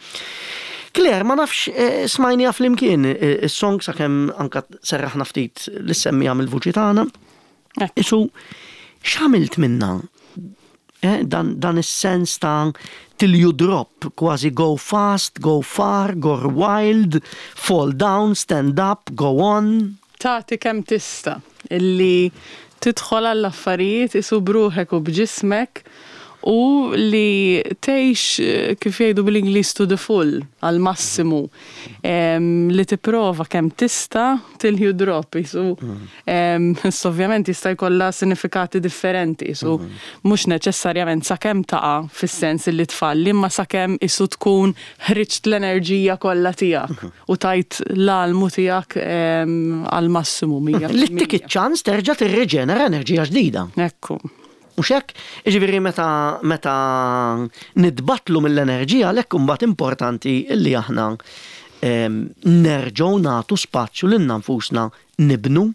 [SPEAKER 1] Claire, ma nafx smajniha flimkien is-song sakemm anka serraħna ftit l-semmija mill-vuċi tagħna. Isu x'għamilt minna? Dan, dan is-sens ta' till you drop, kważi go fast, go far, go wild, fall down, stand up, go on.
[SPEAKER 2] Tagħti kemm tista' illi tidħol għall-affarijiet isu b'ruħek u b'ġismek u li tgħix kif jgħidu bl-Ingliż to the full, għall-massimu. Li tipprova kemm tista' till you drop, isu. Issa ovvjament jista' jkollha sinifikati differenti, isu mhux neċessarjament sakemm taqa' fis-sens li tfalli, imma sakemm isu tkun ħriġt l-enerġija kollha tiegħek u tajt l-almu tiegħek għall-massimu 100%.
[SPEAKER 1] Li ttik iċ-ċans terġa' tirriġenera enerġija ġdida.
[SPEAKER 2] Ekku.
[SPEAKER 1] Mhux hekk? Jiġifieri meta meta nitbattlu mill-enerġija għalhekk imbagħad importanti li aħna Nerġgħu nagħtu spazju lilna nfusna nibnu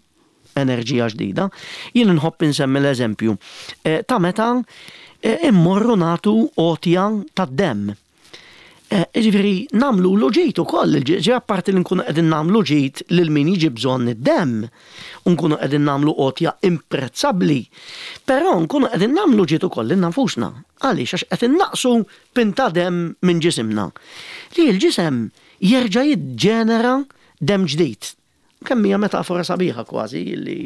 [SPEAKER 1] enerġija ġdida. Jien inħobb insemmi l-eżempju eh, ta' meta eh, immorru nagħtu għotja tad-demm. Eh, jiġifieri nagħmlu lu ġid ukoll, ġi apparti li nkunu qegħdin nagħmlu ġid lil min jiġi bżonn id-demm, u nkunu qegħdin nagħmlu għotja imprezzabbli, però nkunu qegħdin nagħmlu ġid ukoll lilna nfusna. Għaliex? Għax qed innaqsu pinta demm minn ġisimna. Li l-ġisem jerġa' jiġġenera demm ġdid. Kemm hija metafora sabiħa kważi li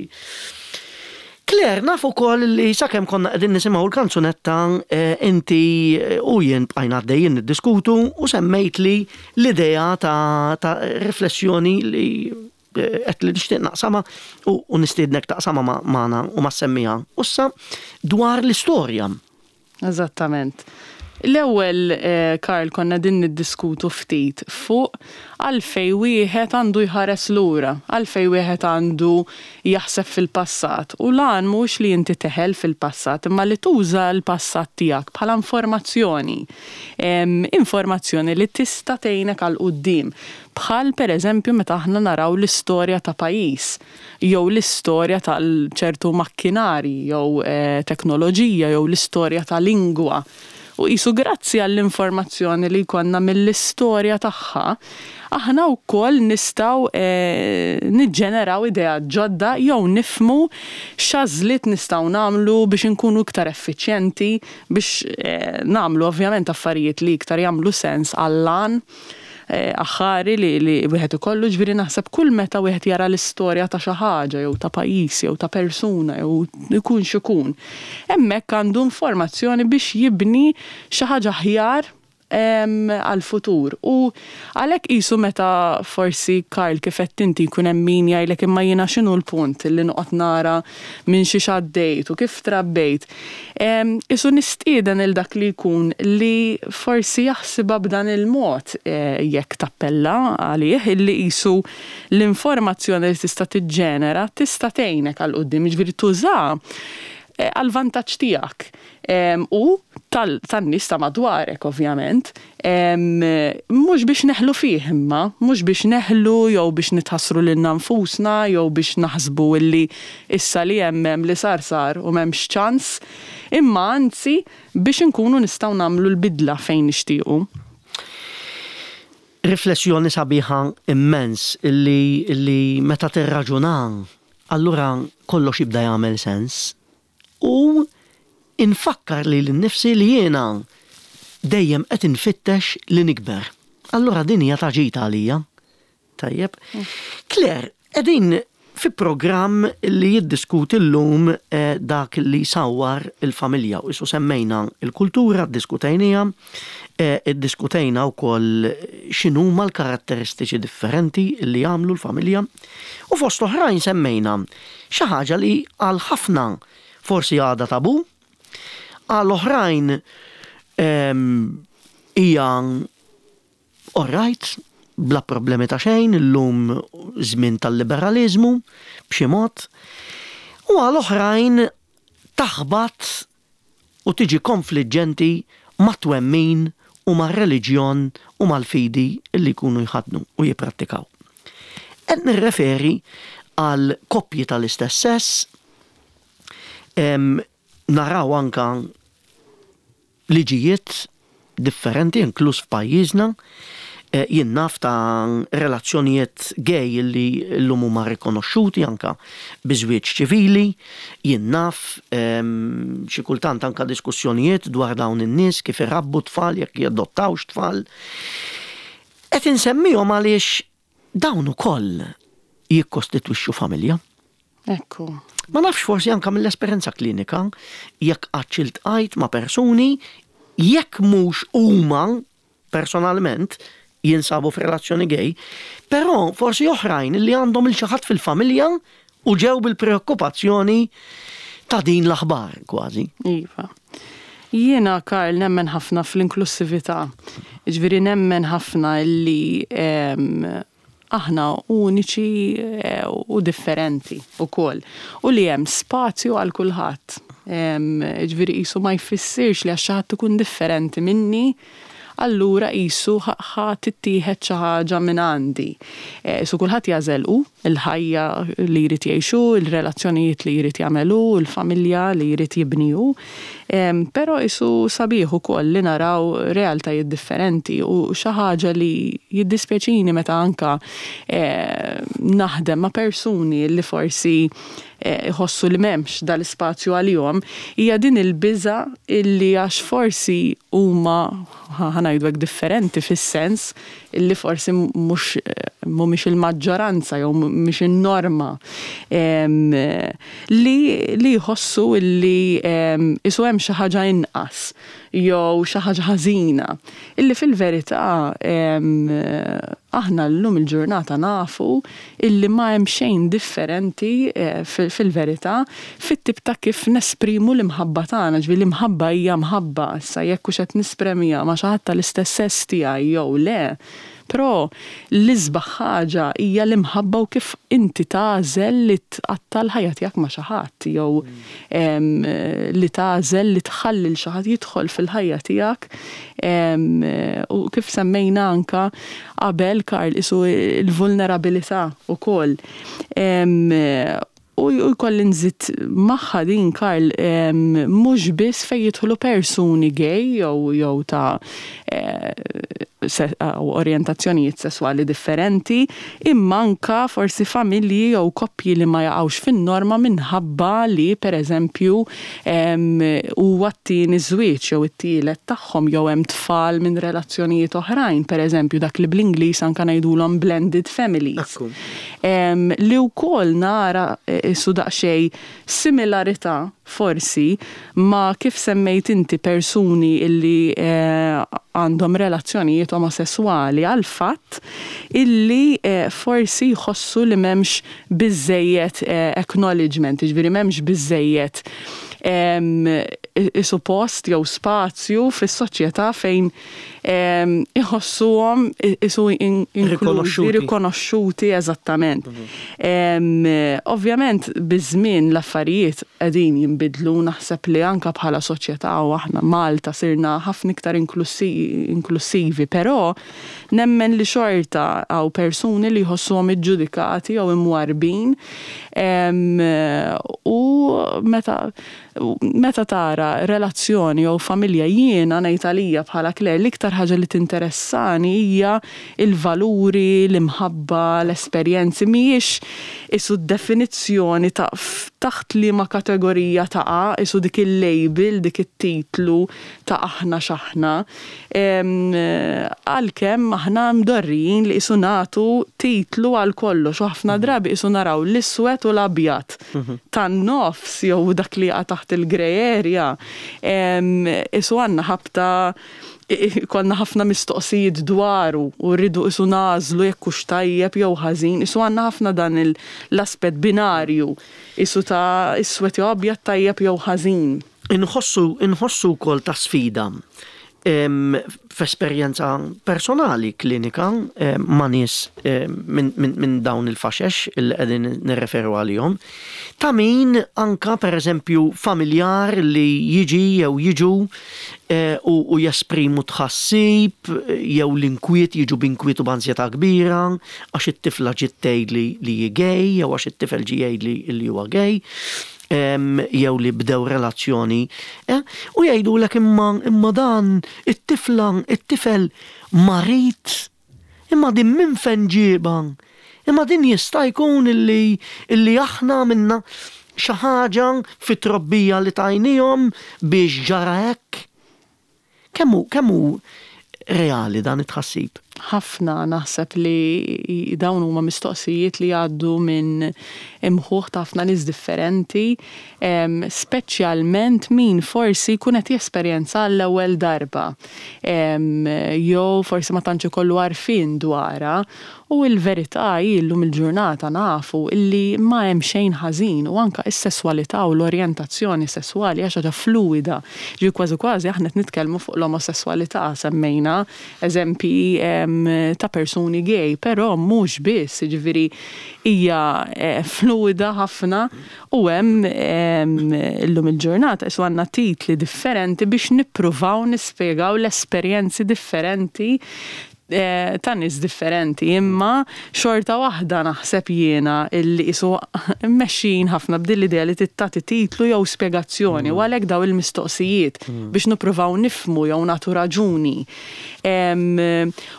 [SPEAKER 1] Claire, naf ukoll li sakemm konna qegħdin nisimgħu l-kanzunetta eh, inti eh, u jien bqajna għaddejjin niddiskutu u semmejtli l-idea ta', ta riflessjoni li eh, qed li nixtieq naqsama u, u nistiednek taqsama magħna u ma semmija. Ussa dwar l-istorja.
[SPEAKER 2] Eżattament. L-ewwel, Karl, konna qegħdin niddiskutu ftit fuq għalfejn wieħed għandu jħares lura, għalfejn wieħed għandu jaħseb fil-passat. U l-għan mhuwiex li inti teħel fil-passat, imma li tuża l-passat tiegħek bħala informazzjoni. Informazzjoni li tista' tgħinek għal quddiem. Bħal pereżempju meta aħna naraw l-istorja ta' pajjiż. jew l-istorja ta' ċertu makkinarji jew teknoloġija jew l-istorja ta' lingwa. U qisu grazzi għall-informazzjoni li jkollna mill-istorja tagħha, aħna wkoll nistgħu niġġeneraw ideat ġodda jew nifhmu x'għażliet nistgħu nagħmlu biex inkunu iktar effiċjenti, biex nagħmlu ovvjament affarijiet li iktar jagħmlu sens għall-għan. Aħħari li li wieħed ikollu, ġifieri naħseb kull meta wieħed jara l-istorja ta' xi ħaġa jew ta' pajjiż jew ta' persuna jew ikun x'ikun, hemmhekk għandu informazzjoni biex jibni xi ħaġa aħjar għall-futur. U għalhekk qisu meta forsi Karl kif għedt inti jkun hemm min jgħidlek imma jiena x'inhu l-punt li noqgħod nara minn xiex għaddejt u kif trabbejt. Qisu nistieden 'il dak li jkun li forsi jaħsibha b'dan il-mod, jekk tappella għalih, illi qisu l-informazzjoni li tista' tiġġenera tista' tgħinek għal quddiem, jiġifieri tużaha għall-vantaġġ tiegħek u tan-nies ta' madwarek ovvjament. Mhux biex neħlu fih imma, mhux biex neħlu jew biex nitħassru lilna nfusna jew biex naħsbu illi issa li hemm hemm li sar sar u m'hemmx ċans, imma anzi biex inkunu nistgħu nagħmlu l-bidla fejn nixtiequ.
[SPEAKER 1] Riflessjoni sabiħa immens illi illi meta tirraġuna allura kollox jibda jagħmel sens. U infakkar lili nnifsi li jiena dejjem qed infittex li nikber. Allura din hija ta' ġid għalija. Tajjeb. Claire, qegħdin fi programm li jiddiskuti llum dak li jsawwar il-familja u qisu semmejna l-kultura, ddiskutejniha, iddiskutejna wkoll x'inhuma l-karatteristiċi differenti li jagħmlu l-familja u fost oħrajn semmejna Xi ħaġa li għal ħafna forsi għadha tabù, għal oħrajn hija all right, bla problemi ta' xejn, illum żmien tal-liberaliżmu b'xi mod, u għal oħrajn taħbat u tiġi konfliġġenti mat-twemmin u mar-reliġjon u mal-fidi li jkunu jħaddnu u jipprattikaw. Qed nirreferi għal koppji tal-istess sess, naraw anke liġijiet differenti inkluż f'pajjiżna. Jien naf ta' relazzjonijiet gay li llum huma rikonoxxuti anke bi żwieġ ċivili. Jien naf xi kultant anke diskussjonijiet dwar dawn in-nies kif irabbu t-tfal, jekk jadottawx tfal. Qed insemmihom għaliex dawn ukoll jikkostitwixxu familja.
[SPEAKER 2] Ekku.
[SPEAKER 1] Ma nafx forsi anke mill-esperjenza klinika jekk qattx iltqajt ma' persuni jekk mhux huma personalment jinsabu f'relazzjoni gay, però forsi oħrajn li għandhom il xi ħadd fil-familja u ġew bil-preokkupazzjoni ta' din l-aħbar kważi.
[SPEAKER 2] Iva. Jiena, Karl, nemmen ħafna fl-inklussività. Jiġifieri nemmen ħafna li aħna uniċi u differenti wkoll u li hemm spazju għal kulħadd. Jiġifieri qisu ma jfissirx li għax xi ħadd ikun differenti minni, allura qisu ħa tittieħed xi ħaġa minn għandi. Qisu kulħadd jagħżel hu l-ħajja li jrid jgħix hu, il-relazzjonijiet li jrid jagħmel hu, il-familja li jrid jibni hu. Però qisu sabiħ ukoll li naraw realtajiet differenti u xi ħaġa li jiddispjaċini meta anke naħdem ma' persuni li forsi iħossu li m'hemmx dal-ispazju għalihom, hija din il-biża' illi għax forsi huma, ħa ngħidu hekk, differenti fis-sens illi forsi mhux mhumiex il-maġġoranza jew mhix in-norma, li li jħossu illi qisu hemm xi ħaġa inqas jew xi ħaġa ħażina. Illi fil-verità aħna llum il-ġurnata nafu illi ma hemm xejn differenti fil-verità fit-tip ta' kif nesprimu l-imħabba tagħna, ġifieri l-imħabba hija mħabba, issa jekk hux qed nispremiha ma' xi ħadd tal-istess sess tiegħi jew le, però l-isbaħ ħaġa hija l-imħabba u kif inti tagħżel li tqatta' l-ħajja tiegħek ma' xi ħadd jew li tagħżel li tħalli 'l xi ħadd jidħol fil-ħajja tiegħek u kif semmejna anke qabel Karl qisu l-vulnerabilità wkoll. U jkolli nżid magħha din Karl mhux biss fejn jidħlu persuni gay jew jew ta' orjentazzjonijiet sesswali differenti, imma anke forsi familji jew koppji li ma jaqgħux fin-norma minħabba li pereżempju huwa t-tieni żwieġ jew it-tielet tagħhom jew hemm tfal minn relazzjonijiet oħrajn, pereżempju dak li bl-Ingliż anke ngħidulhom blended families. Li wkoll nara qisu daqsxejn similarità forsi ma' kif semmejt inti persuni illi għandhom relazzjonijiet omosesswali għall-fatt illi forsi jħossu li m'hemmx biżżejjed acknowledgement, jiġifieri m'hemmx biżżejjed isu post jew spazju fis-soċjetà fejn iħossuhom isu inklużi, rikonoxxuti eżattament. Ovvjament biż-żmien l-affarijiet qegħdin jinbidlu, naħseb li anke bħala soċjetà u aħna Malta sirna ħafna iktar inklussivi, però Nemmen li xorta hawn persuni li jħossuhom iġġudikati jew imwarrbin u meta meta tara relazzjoni jew familja jiena ngħid għalija bħala Claire l-iktar ħaġa li tinteressani hija l-valuri, l-imħabba, l-esperjenzi mhijiex qisu d-definizzjoni ta' taħt liema kategorija taqa' qisu dik il-label, dik it-titlu ta' aħna x'aħna. Għalkemm aħna mdorrijin li qisu nagħtu titlu għal kollox u ħafna drabi qisu naraw l-iswed u l-abjad. Tan-nofs jew dak li jaqa' taħt il-grey area qisu għandna ħabta jkollna ħafna mistoqsijiet dwaru u rridu qisu nagħżlu jekk hux tajjeb jew ħażin, qisu għandna ħafna dan l-aspett binarju qisu ta' iswed jew abjad, tajjeb jew ħażin.
[SPEAKER 1] Inħossu, inħossu wkoll ta' sfida f'esperjenza personali klinika ma' nies minn dawn il-faxex li qegħdin nirreferu għalihom, ta' min anka pereżempju familjar li jiġi jew jiġu u jesprimu tħassib jew l-inkwiet, jiġu b'inkwiet u b'anzjetà kbira għax it-tifla ġiet tgħidli li hi gay jew għax it-tifel ġie jgħidli li huwa gay. jew li bdew relazzjoni, eh, u jgħidulek imma imma dan it-tifla, it-tifel marid, imma din minn fejn ġiebha? Imma din jista' jkun illi illi aħna għamilna xi ħaġa fit-trobbija li tajnihom biex ġara hekk? Kemm hu kemm hu reali dan it-tħassib?
[SPEAKER 2] Ħafna, naħseb li dawn huma mistoqsijiet li jgħaddu minn imħuħ ta' ħafna nies differenti, speċjalment min forsi jkun qed jesperjenza għall-ewwel darba jew forsi ma tantx ikollu għarfien dwarha. U l-verità hi llum il-ġurnata nafu illi ma hemm xejn ħażin u anke s-sesswalità u l-orjentazzjoni sesswali hija xi ħaġa fluwida. Jiġifieri kważi kważi aħna qed nitkellmu fuq l-omosesswalità, semmejna eżempji ta' persuni gay, però mhux biss, jiġifieri hija fluwida ħafna u hemm illum il-ġurnata qisu għandna titli differenti biex nippruvaw nispjegaw l-esperjenzi differenti ta' nies differenti, imma xorta waħda naħseb jiena illi qisu mmexxijin ħafna b'din l-idea li trid tagħti titlu jew spjegazzjoni u għalhekk dawn il-mistoqsijiet biex nippruvaw nifhmu jew nagħtu raġuni.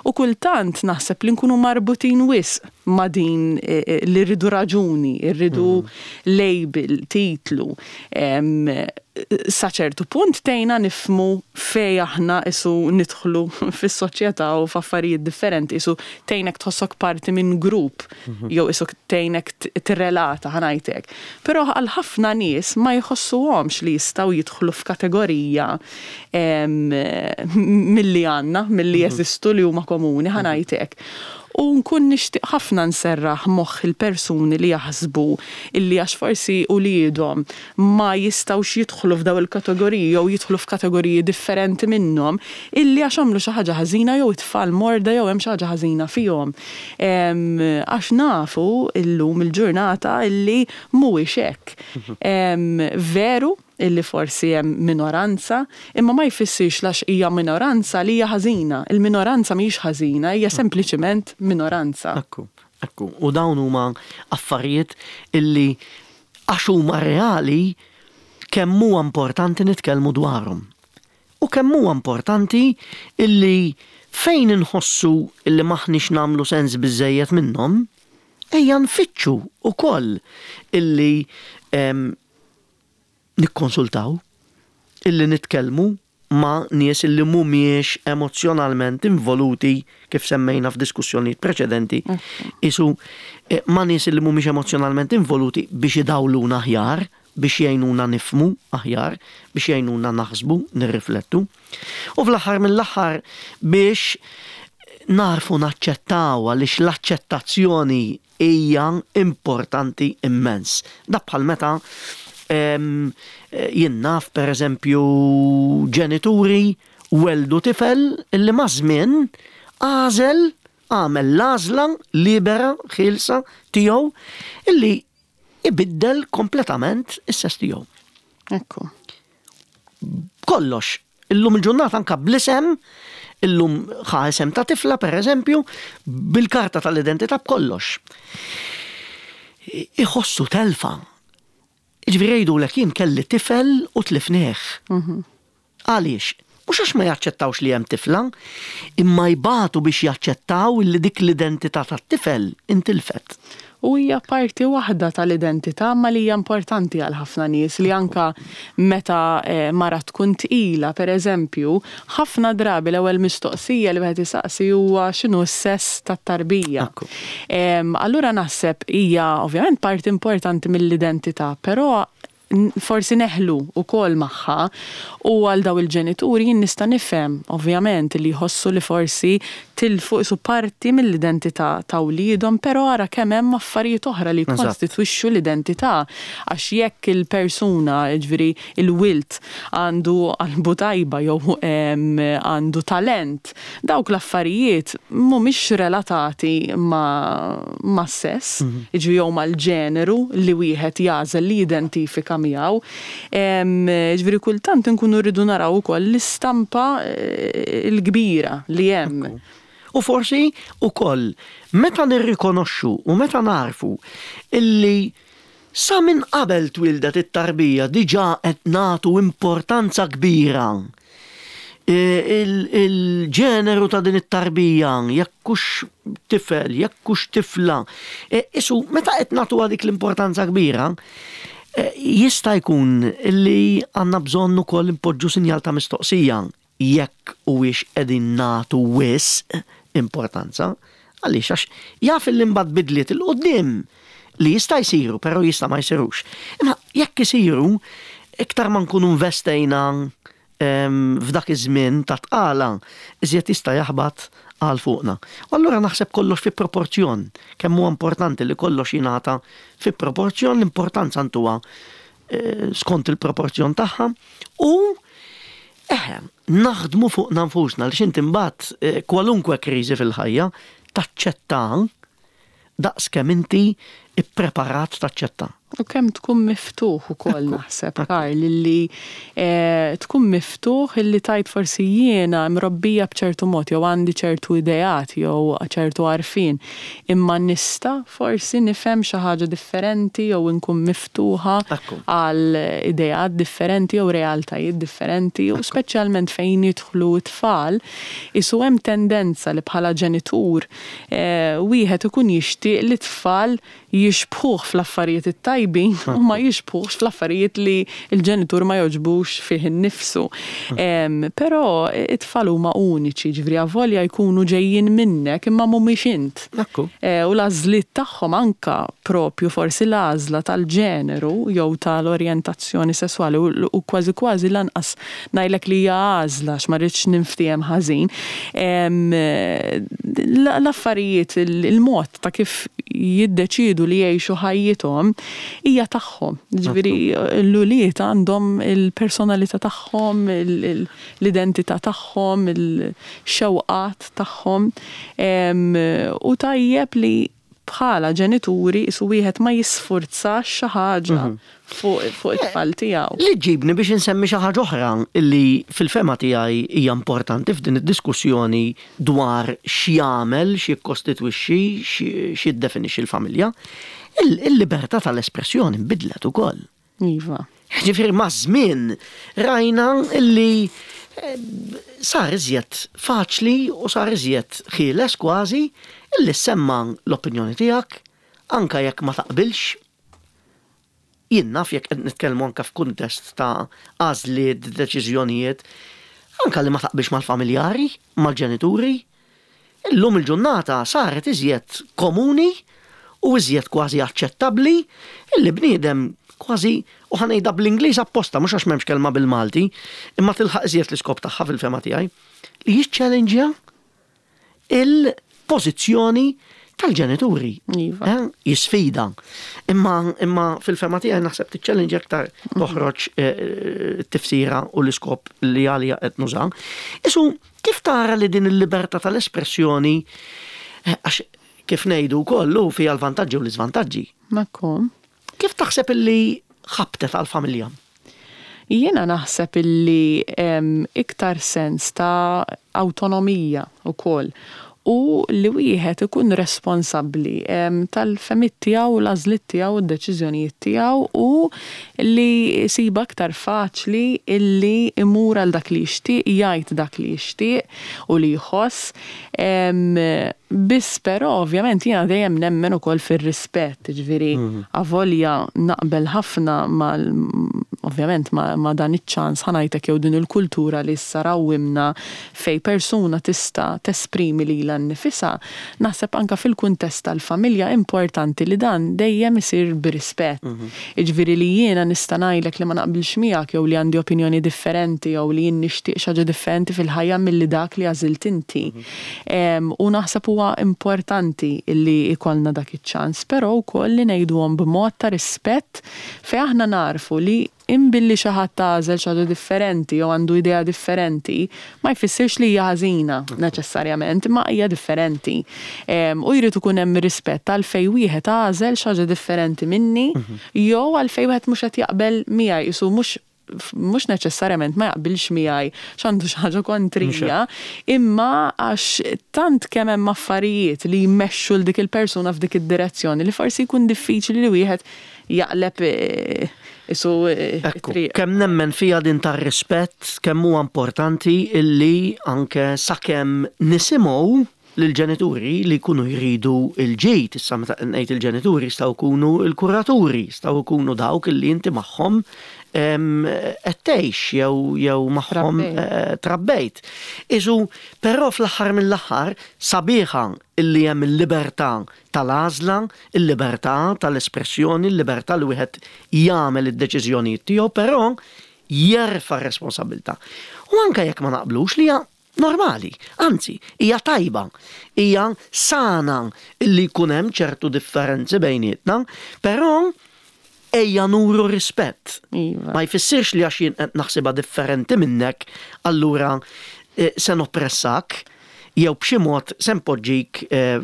[SPEAKER 2] U kultant naħseb li nkunu marbutin wisq ma' din li rridu raġuni, rridu label, titlu. Sa ċertu punt tgħinna nifhmu fejn aħna qisu nidħlu fis-soċjetà u f'affarijiet differenti, qisu tgħinek tħossok parti minn grupp jew qisu tgħinek tirrelata, ħa ngħid hekk. Però għal ħafna nies ma jħossuhomx li jistgħu jidħlu f'kategorija milli għandna, milli jeżistu li huma komuni, ħa ngħid hekk. U nkun nixtieq ħafna nserraħ moħħ il-persuni li jaħsbu illi għax forsi uliedhom ma jistgħux jidħlu f'dawn il-kategoriji jew jidħlu f'kategoriji differenti minnhom illi għax għamlu xi ħaġa ħażina jew it-tfal morda jew hemm xi ħaġa ħażina fihom. Għax nafu llum il-ġurnata illi mhuwiex hekk. Veru illi forsi hemm minoranza, imma ma jfissirx l-għax hija minoranza li hija ħażina. Il-minoranza mhijiex ħażina, hija sempliċiment minoranza.
[SPEAKER 1] Ekku, ekku. U dawn huma affarijiet illi Għax huma reali kemm huwa importanti nitkellmu dwarhom. U kemm huwa importanti illi fejn inħossu illi m'aħniex nagħmlu sens biżżejjed minnhom, ejja nfittxu wkoll illi nikkonsultaw, illi nitkellmu ma' nies li mhumiex emozzjonalment involuti, kif semmejna f'diskussjonijiet preċedenti, qisu ma' nies li mhumiex emozzjonalment involuti biex idawluna aħjar, biex jgħinuna nifhmu aħjar, biex jgħinuna naħsbu, nirriflettu. U fl-aħħar mill-aħħar biex nagħrfu naċċettaw għaliex l-aċċettazzjoni hija importanti immens. Dak bħal meta jien naf pereżempju ġenituri welldu tifel illi maż-żmien għażel għamel l-għażla libera, ħielsa tiegħu illi ibiddel kompletament is-sess tiegħu.
[SPEAKER 2] Ekku.
[SPEAKER 1] Kollox. Illum il-ġurnata anka bl-isem, illum ħa isem ta' tifla per eżempju, bil-karta tal-identità b'kollox. Iħossu telfa. Ġifieri jgħidulek jien kelli tifel u tlifnieh. Mhm. Għaliex? Mhux għax ma jaċċettawx li hemm tifla, imma jbatu biex jaċċettaw li dik l-identità tat-tifel intilfet.
[SPEAKER 2] U hija parti waħda tal-identità imma li hija importanti għal ħafna nies li anke meta mara tkun tqila, per eżempju, ħafna drabi l-ewwel mistoqsija li wieħed isaqsi huwa x'inhu s-sess tat-tarbija. Allura naħseb hija ovvjament parti importanti mill-identità, però forsi neħlu wkoll magħha u għal dawn il-ġenituri jien nista' nifhem ovvjament li jħossu li forsi tilfu qisu parti mill-identità ta' wliedhom però ara kemm hemm affarijiet oħra li jikkonstitwixxu l-identità għax jekk il-persuna jiġifieri il-wild għandu qalbu tajba jew għandu talent Dawk l-affarijiet mhumiex relatati mas-sess, jiġifieri jew mal-ġeneru li wieħed jagħżel li jidentifika miegħu. Jiġifieri kultant inkunu rridu naraw ukoll l-istampa l-kbira li hemm.
[SPEAKER 1] U forsi wkoll meta nirrikonoxxu u meta nagħrfu illi sa minn qabel twieldet it-tarbija diġà qed nagħtu importanza kbira il-ġeneru ta' din it-tarbija, jekk hux tifel, jekk hux tifla. E, isu, meta qed nagħtuha dik l-importanza kbira, e, jista' jkun li għandna bżonn ukoll impoġġu sinjal ta' mistoqsija jekk huwiex qegħdin nagħtu wisq importanza. Għaliex għax jaf li mbagħad bidliet 'il quddiem li jista' jsiru, però jista' ma jsirux. Imma jekk isiru, iktar ma nkunu investejna f'dak iż-żmien ta' tqala iżjed jista' jaħbat għal fuqna. U allura naħseb kollox fi proporzjon, kemm huwa importanti li kollox jingħata fi proporzjon, l-importanza ntuha eh, skont il-proporzjon tagħha u eħe, naħdmu fuqna nfusna li x'inti mbagħad eh, kwalunkwe kriżi fil-ħajja taċċetta daqs kemm inti ippreparat taċċetta.
[SPEAKER 2] U kemm tkun miftuħ ukoll naħseb, Karl, illi eh, tkun miftuħ illi tajt forsi jiena mrobbija b'ċertu mod jew għandi ċertu ideat jew ċertu għarfien, imma nista' forsi nifhem xi ħaġa differenti jew inkun miftuħa għal ideat differenti jew realtajiet differenti u speċjalment fejn jidħlu t-tfal, isu hemm tendenza li bħala ġenitur wieħed ikun jixtieq li t-tfal jixbħuh fl-affarijiet it-tajbin u ma jixbħuhx fl-affarijiet li l-ġenitur ma jogħġbux fih innifsu. Però it-tfal huma uniċi, jiġifieri avolja jkunu ġejjin minnek imma mhumiex int. U l-għażliet tagħhom anke propju forsi l-għażla tal-ġeneru jew tal-orjentazzjoni sesswali u kważi kważi lanqas ngħidlek li hija għażla għax ma rridx ninftiehem ħażin, l-affarijiet, il-mod ta' kif jiddeċiedu li jgħixu ħajjithom hija tagħhom. Jiġifieri l-ulied għandhom il-personalità tagħhom, l-identità tagħhom, il-xewqat tagħhom u tajjeb li bħala ġenituri qisu wieħed ma jisfurzax xi ħaġa fuq it-tfal tiegħu.
[SPEAKER 1] Li ġġibni biex insemmi xi ħaġa oħra li fil-fehma tiegħi hija importanti f'din id-diskussjoni dwar x'jagħmel, x'jikkostitwixxi, x'jiddefinixxi l-familja. Il-libertà tal-espressjoni nbidlet ukoll.
[SPEAKER 2] Iva.
[SPEAKER 1] Ġifieri maż-żmien rajna li sar iżjed faċli u sar iżjed ħieles kważi illi ssemma' l-opinjoni tiegħek anke jekk ma taqbilx. Jien naf jekk qed nitkellmu anke f'kuntest ta' għażliet, deċiżjonijiet, anke li ma taqbilx mal-familjari, mal-ġenituri, Illum il-ġurnata saret iżjed komuni u iżjed kważi aċċettabbli illi bniedem kważi, u ħa ngħidha bl-Ingliż apposta mhux għax m'hemmx kelma bil-Malti, imma tilħaq iżjed l-iskop tagħha fil-fehma tiegħi, li jiċċellenġja il-pożizzjoni tal-ġenituri.
[SPEAKER 2] Iva.
[SPEAKER 1] Eh, jisfida. Imma, imma fil-fema tiegħi naħseb tiċċellenġ aktar toħroġ eh, tifsira u l-iskop li għalija qed nuża. Isu Kif tara li din il-libertà tal-espressjoni, għax kif ngħidu wkoll hu fiha l-vantaġġi u l-iżvantaġġi.
[SPEAKER 2] Ekku.
[SPEAKER 1] Kif taħseb illi ħabtet għall-familja?
[SPEAKER 2] Jiena naħseb illi hemm iktar sens ta' awtonomija wkoll u li wieħed ikun responsabbli tal-fehmiet tiegħu u l-għażliet tiegħu u d-deċiżjonijiet tiegħu u li jsibha aktar faċli illi jmur għal dak li jixtieq, jgħid dak li jixtieq u li jħoss. Biss però ovvjament jiena dejjem nemmen ukoll fir-rispett, jiġifieri avolja naqbel ħafna mal ovvjament ma' dan iċ-ċans ħa ngħidlek jew din il-kultura li issa rawwimna fejn persuna tista' tesprimi lilha nnifisha, naħseb anke fil-kuntest tal-familja importanti li dan dejjem isir b'rispett. Jiġifieri li jiena nista' ngħidlek li ma naqbilx miegħek jew li għandi opinjoni differenti jew li jien nixtieq xi ħaġa differenti fil-ħajja milli dak li għażilt inti. U naħseb huwa importanti li jkollna dak iċ-ċans, però wkoll li ngħiduhom b'mod ta' rispett fejn aħna nagħrfu li Imbilli xi ħadd għażel xi ħaġa differenti jew għandu idea differenti, ma jfissirx li hija ħażina neċessarjament, imma hija differenti. U jrid ikun hemm rispett għalfejn wieħed għażel xi ħaġa differenti minni jew għalfejn wieħed mhux qed jaqbel miegħi, qisu mhux mhux neċessarjament ma jaqbilx miegħi għax għandu xi ħaġa kontrija, imma għax tant kemm hemm affarijiet li jmexxu 'l dik il-persuna f'dik id-direzzjoni li forsi jkun diffiċli li wieħed jaqleb isu
[SPEAKER 1] Ekku, kemm nemmen fiha din tar-rispett, kemm huwa importanti illi anke sakemm nisimgħu lill-ġenituri li jkunu jridu l-ġid, issa meta ngħid il-ġenituri jistgħu jkunu l-kuraturi, jistgħu jkunu dawk illi inti magħhom qed tgħix jew jew magħhom trabbejt. Isu, però fl-aħħar mill-aħħar sabiħa illi hemm il-libertà tal-għażla, il-libertà tal-espressjoni, il-libertà li wieħed jagħmel id-deċiżjonijiet tiegħu, però jerfa' r-responsabbiltà. U anke jekk ma naqblux li hija normali, anzi, hija tajba, hija sana li jkun hemm ċertu differenzi bejnietna, però ejja nuru rispett.
[SPEAKER 2] Iva.
[SPEAKER 1] Ma jfissirx li għax jien qed naħsibha differenti minnek, allura eh, se noppressak jew b'xi mod se npoġġik eh,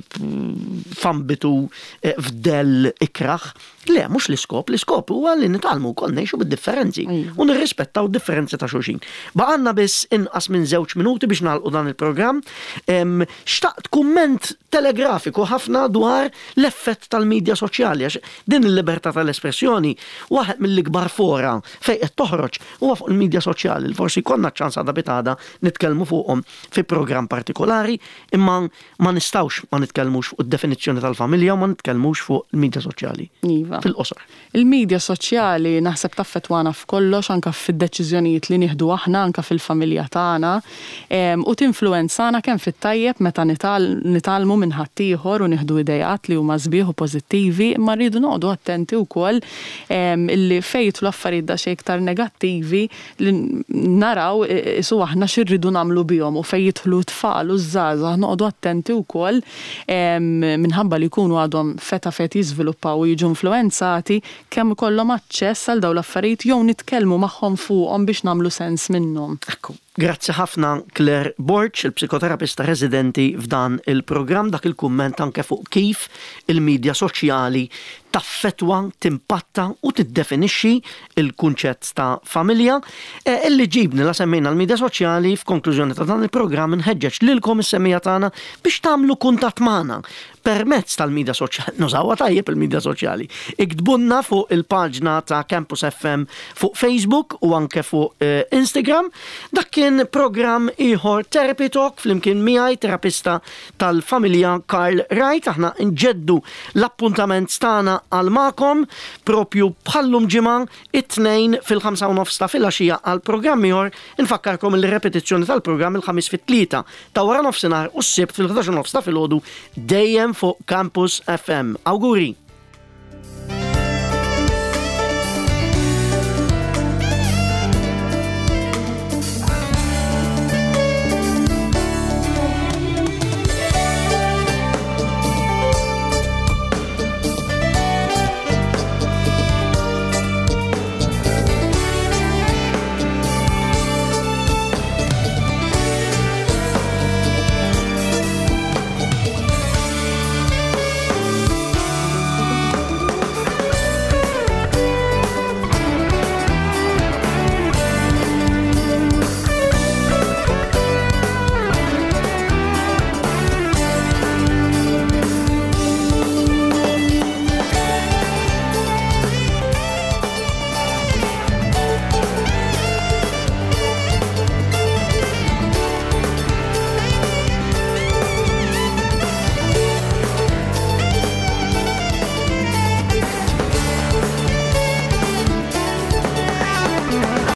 [SPEAKER 1] f'ambitu eh, f'dell ikrah. Le, mhux l-iskop, l-iskop huwa li nitgħallmu wkoll ngħixu bid-differenzi u nirrispettaw d-differenzi ta' xulxin. Baqgħalna biss inqas minn żewġ minuti biex nagħlqu dan il-programm. Xtaqt kumment telegrafiku ħafna dwar l-effett tal-midja soċjali għax din il-libertà tal-espressjoni waħed mill-ikbar fora fejn qed toħroġ huwa fuq il-midja soċjali li forsi jkollna ċ-ċans għada pitgħada nitkellmu fuqhom fi programm partikolari imma Ma nistgħux ma nitkellmux fuq id-definizzjoni tal-familja u ma nitkellmux fuq il-midja soċjali.
[SPEAKER 2] Iva.
[SPEAKER 1] Fil-qosor.
[SPEAKER 2] Il-midja soċjali naħseb taffettwana f'kollox anke fid-deċiżjonijiet li nieħdu aħna anke fil-familja tagħna u tinfluwenzana kemm fit-tajjeb meta nitgħallmu minn ħaddieħor u nieħdu ideat li huma sbieħ u pożittivi imma rridu noqogħdu attenti wkoll illi fejn jidħlu affarijiet daqsxejn iktar negattivi li naraw qisu aħna xi rridu nagħmlu bihom u fejn jidħlu t-tfal u ż-żgħażagħ noqogħdu attenti wkoll minħabba li jkunu għadhom f'età fejn qed jiżviluppaw u jiġu influwenzati kemm ikollhom aċċess għal dawn l-affarijiet jew nitkellmu magħhom fuqhom biex nagħmlu sens minnhom.
[SPEAKER 1] Ekku. Grazzi ħafna Claire Borg, il-psikoterapista residenti f'dan il-programm, dak il-kumment anke fuq kif il-midja soċjali taffettwa, timpatta u tiddefinixxi l-kunċett ta' familja. E, illi ġibni la semmejna l-midja soċjali f'konklużjoni ta' dan il-programm nħeġġeġ lilkom is-semmiegħa tagħna biex tagħmlu kuntatt magħna permezz tal-midja soċjali, nużawha tajjeb il-midja soċjali. Iktbulna fuq il-paġna ta' Campus FM fuq Facebook u anke fuq eh, Instagram. Dak kien programm ieħor Therapy Talk flimkien miegħi terapista tal-familja Karl Wright. Aħna nġeddu l-appuntament tagħna għal magħkom propju bħallum ġimgħa it-tnejn fil-5 u nofs ta' filgħaxija għal programm ieħor. Infakkarkom li repetizzjoni tal-programm il-ħamis fit-tlieta ta' wara nofsinhar u s-sibt fil-11 nofs ta' filgħodu dejjem fuq Campus FM. Awguri!